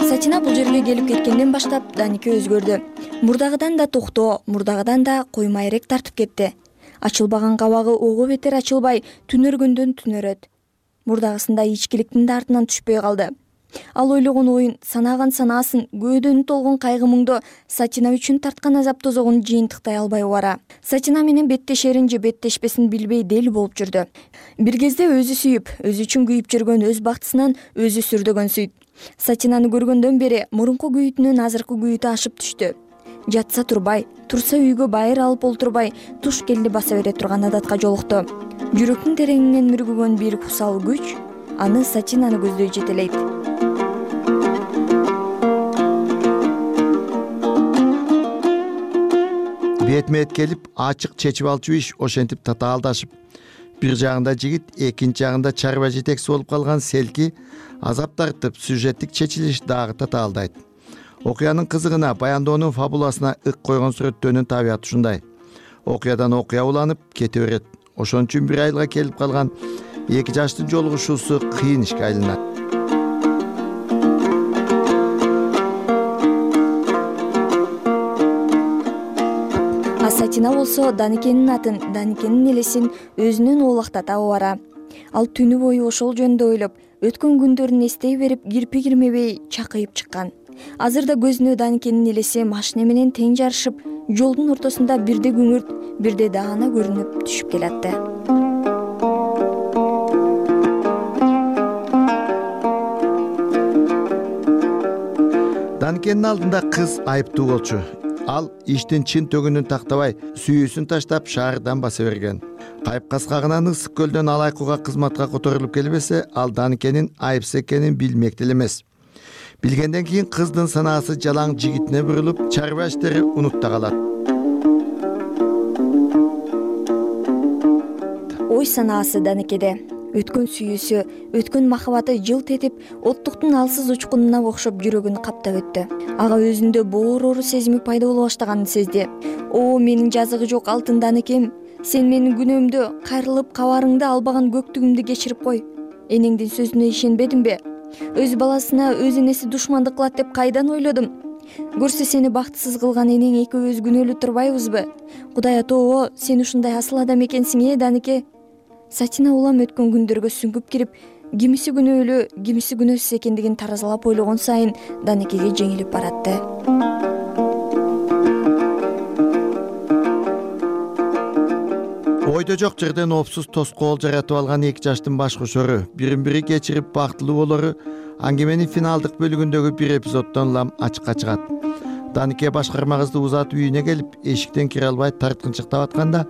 Сатина бул жерге келип кеткенден баштап Данике өзгөрдү. Мурдагыдан да токтоо, мурдагыдан да коймайрек тартып кетти. Ачылбаган кабагы ого бетер ачылбай, түнөргөндөн түнөрөт. Мурдагысында ичкиликтин да артынан түшпөй калды. Ал ойлогон оюн, санаган санаасын, көөдөнү толгон кайгы муңдо Сатина үчүн тарткан азап тозогун жыйынтыктай албай бара. Сатина менен беттешерин же беттешпесин билбей дел болуп жүрдү. Бир кезде өзү сүйүп, өзү үчүн күйүп жүргөн өз бактысынан өзү сүрдөгөн сүйт. Сатинаны көргөндөн бери мурунку күйүтүнүн азыркы күйүтү ашып түштү. Жатса турбай, турса үйгө байыр алып олтурбай, туш келди баса бере турган адатка жолукту. Жүрөктүн тереңинен мүргүгөн бир кусал күч аны Сатинаны көздөй жетелейт. Бетмет келип, ачык чечип алчу иш ошентип татаалдашып, бир жагында жигит, экинчи жагында чарба жетекчиси болуп калган Селки азап тартып, сюжеттик чечилиш дагы татаалдайт. Окуянын кызыгына, баяндоонун фабуласына ык койгон сүрөттөөнүн табияты ушундай. Окуядан окуя уланып кете берет. Ошон үчүн бир айылга келип калган эки жаштын жолугушуусу кыйын ишке айланат. А Сатина болсо Даникенин атын, Даникенин элесин өзүнөн оолактата бара. Ал түнү бою ошол жөнүндө ойлоп, өткөн күндөрүн эстей берип, кирпи кирмебей чакыйып чыккан. Азырда көзүнө Даникенин элеси машина менен тең жарышып, жолдун ортосунда бирде күңүрт, бирде даана көрүнүп түшүп келатты. Даникенин алдында кыз айыптуу болчу. Ал иштин чын төгүнүн тактабай, сүйүүсүн таштап шаардан баса берген. Кайыпкас кагынан ысык көлдөн алайкууга кызматка которулуп келбесе, ал Даникенин айыпсыз экенин билмек деле эмес. Билгенден кийин кыздын санаасы жалаң жигитине бурулуп, чарба иштери унутта калат. Ой санаасы Даникеде. Өткөн сүйүүсү, өткөн махабаты жылт этип, оттуктун алсыз учкунуна окшоп жүрөгүн каптап өттү. Ага өзүндө боорору сезими пайда боло баштаганын сезди. О, менин жазыгы жок алтын Даникем, сен менин күнөөмдү, кайрылып кабарыңды албаган көктүгүмдү кечирип кой. Энеңдин сөзүнө ишенбедимби? Өз баласына өз энеси душмандык кылат деп кайдан ойлодум? Көрсө сени бактысыз кылган энең экөөбүз күнөөлүү турбайбызбы? Кудай атоо, сен ушундай асыл адам экенсиң, Данике. Сатина улам өткөн күндөргө сүңгүп кирип, кимиси күнөөлүү, кимиси күнөөсүз экендигин таразалап ойлогон сайын Даникеге жеңилип баратты. Ойдо жок жерден опсуз тоскоол жаратып алган эки жаштын баш кошору, бирин-бири кечирип бактылуу болору аңгеменин финалдык бөлүгүндөгү бир эпизоддон улам ачыкка чыгат. Данике башкарма кызды узатып үйүнө келип, эшиктен кире албай тарткынчыктап атканда,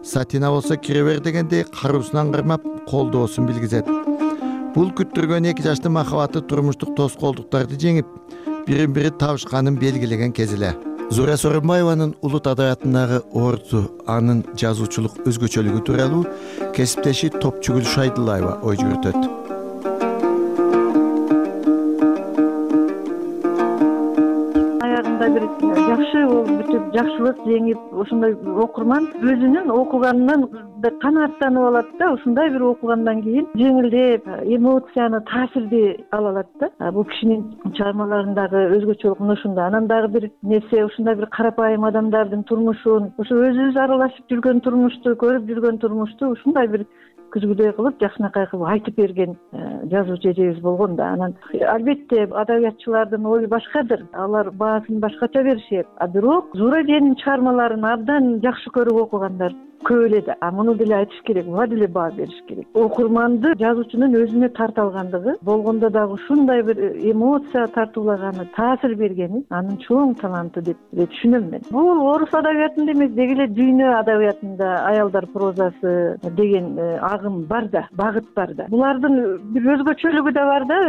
Сатина болсо кире бер дегенде каруусунан кармап, колдоосун билгизет. Бул күттүргөн эки жаштын махабаты турмуштук тоскоолдуктарды жеңип, бирин-бири табышканын белгилеген кези эле. Зура Сооронбаеванын улут адабиятындагы орду, анын жазуучулук өзгөчөлүгү тууралуу кесиптеши Топчугүл Шайдуллаева ой жүгүртөт. Бир жакшы бүтүп, жакшылык жеңип, ошондой окурман өзүнүн окуганынан канааттанып алат да, ушундай бир окугандан кийин жеңилдеп, эмоцияны, таасирди ала алат да. Бул кишинин чыгармаларындагы өзгөчөлүк мына ушунда. Анан дагы бир нерсе, ушундай бир карапайым адамдардын турмушун, ошо өзүбүз аралашып жүргөн турмушту, көрүп жүргөн турмушту ушундай бир күзгүдөй кылып, жакшынакай кылып айтып берген жазуучу эжебиз болгон да. Анан албетте адабиятчылардын ою башкадыр. Алар баасын башкача беришет. Бирок Зура эженин чыгармаларын абдан жакшы көрүп окугандар көп эле да. Муну деле айтыш керек, буга деле баа бериш керек. Окурманды жазуучунун өзүнө тарта алгандыгы, болгондо дагы ушундай бир эмоция тартуулаганы, таасир бергени анын чоң таланты деп түшүнөм мен. Бул орус адабиятында эмес, деги эле дүйнө адабиятында аялдар прозасы деген агым бар да, багыт бар да. Булардын бир өзгөчөлүгү да бар да.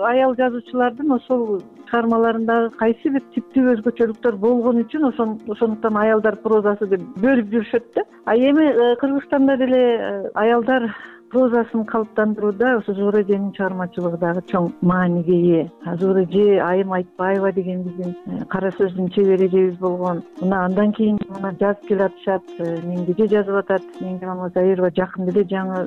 Аял жазуучулардын ошол чыгармаларындагы кайсы бир типтүү өзгөчөлүктөр болгон үчүн ошондуктан аялдар прозасы деп бөлүп жүрүшөт да. Эми Кыргызстанда деле аялдар прозасын калыптандырууда ошо Зура эженин чыгармачылыгы дагы чоң мааниге ээ. Зура эже Айым Айтбаева деген биздин кара сөздүн чебери эжебиз болгон. Мына андан кийин жазып келатышат, Меңдеже жазып атат. Меңде Мамазаирова жакында эле жаңы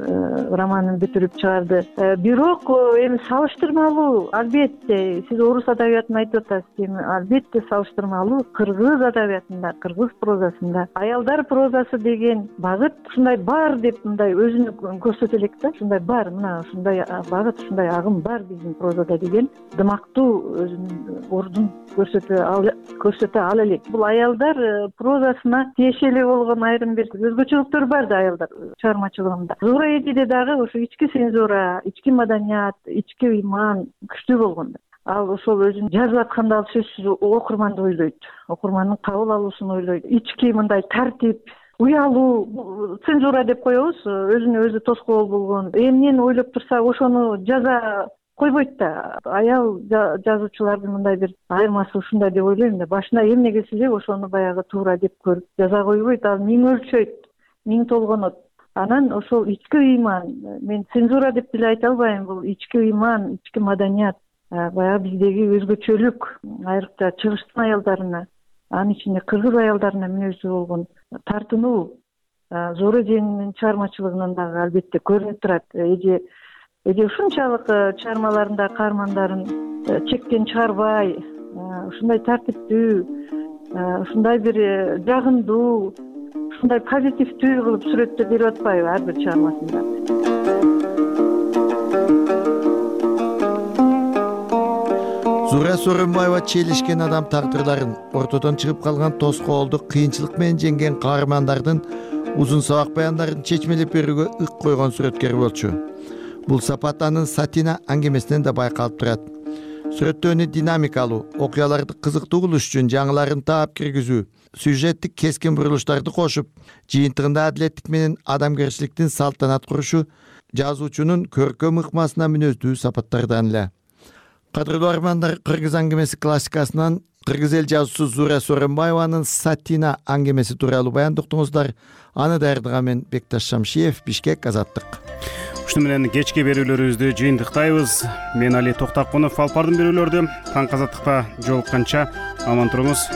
романын бүтүрүп чыгарды. Бирок эми салыштырмалуу, албетте сиз орус адабиятын айтып атасыз, эми албетте салыштырмалуу кыргыз адабиятында, кыргыз прозасында аялдар прозасы деген багыт ушундай бар деп мындай өзүнө көрсөтө элек да. Ушундай бар, мына ушундай багыт, ушундай агым бар биздин прозада деген дымактуу өзүнүн ордун көрсөтө ала элек. Бул аялдар прозасына тиешелүү болгон айрым бир өзгөчөлүктөр бар да аялдар чыгармачылыгында. Зура эжеде дагы ошо ички цензура, ички маданият, ички ыйман күчтүү болгон да. Ал ошол өзүн жазып атканда ал сөзсүз окурманды ойлойт, окурмандын кабыл алуусун ойлойт. Ички мындай тартип, уялуу, цензура деп коебуз, өзүнө өзү тоскоол болгон. Эмнени ойлоп турса, ошону жаза койбойт да. Аял жазуучулардын мындай бир айырмасы ушундай деп ойлойм да. Башына эмне келсе эле ошону баягы туура деп көрүп жаза койбойт. Ал миң өлчөйт, миң толгонот. Анан ошол ички ыйман, мен цензура деп деле айта албайм, бул ички ыйман, ички маданият, баягы биздеги өзгөчөлүк, айрыкча чыгыштын аялдарына, анын ичинде кыргыз аялдарына мүнөздүү болгон тартынуу Зура эженин чыгармачылыгынан дагы албетте көрүнүп турат. Эже ушунчалык чыгармаларында каармандарын чектен чыгарбай, ушундай тартиптүү, ушундай бир жагымдуу, ушундай позитивдүү кылып сүрөттөп берип атпайбы ар бир чыгармасында. Зура Сооронбаева челишкен адам тагдырларын, ортодон чыгып калган тоскоолду кыйынчылык менен жеңген каармандардын узун сабак баяндарын чечмелеп берүүгө ык койгон сүрөткер болчу. Бул сапат анын Сатина аңгемесинен да байкалып турат. сүрөттөөнү динамикалуу, окуяларды кызыктуу кылыш үчүн жаңыларын таап киргизүү, сюжеттик кескин бурулуштарды кошуп, жыйынтыгында адилеттик менен адамгерчиликтин салтанат курушу жазуучунун көркөм ыкмасына мүнөздүү сапаттардан эле. Кадырлуу армандар, кыргыз аңгемеси классикасынан кыргыз эл жазуучусу Зура Сооронбаеванын Сатина аңгемеси тууралуу баяндыктыңыздар. Аны даярдаган мен Бекташ Шамшиев, Бишкек, Азаттык. Ушуну менен кечки берүүлөрүбүздү жыйынтыктайбыз. Мен Али Токтакунов, Алпардын берүүлөрдү таң азаттыкта жолукканча аман туруңуз.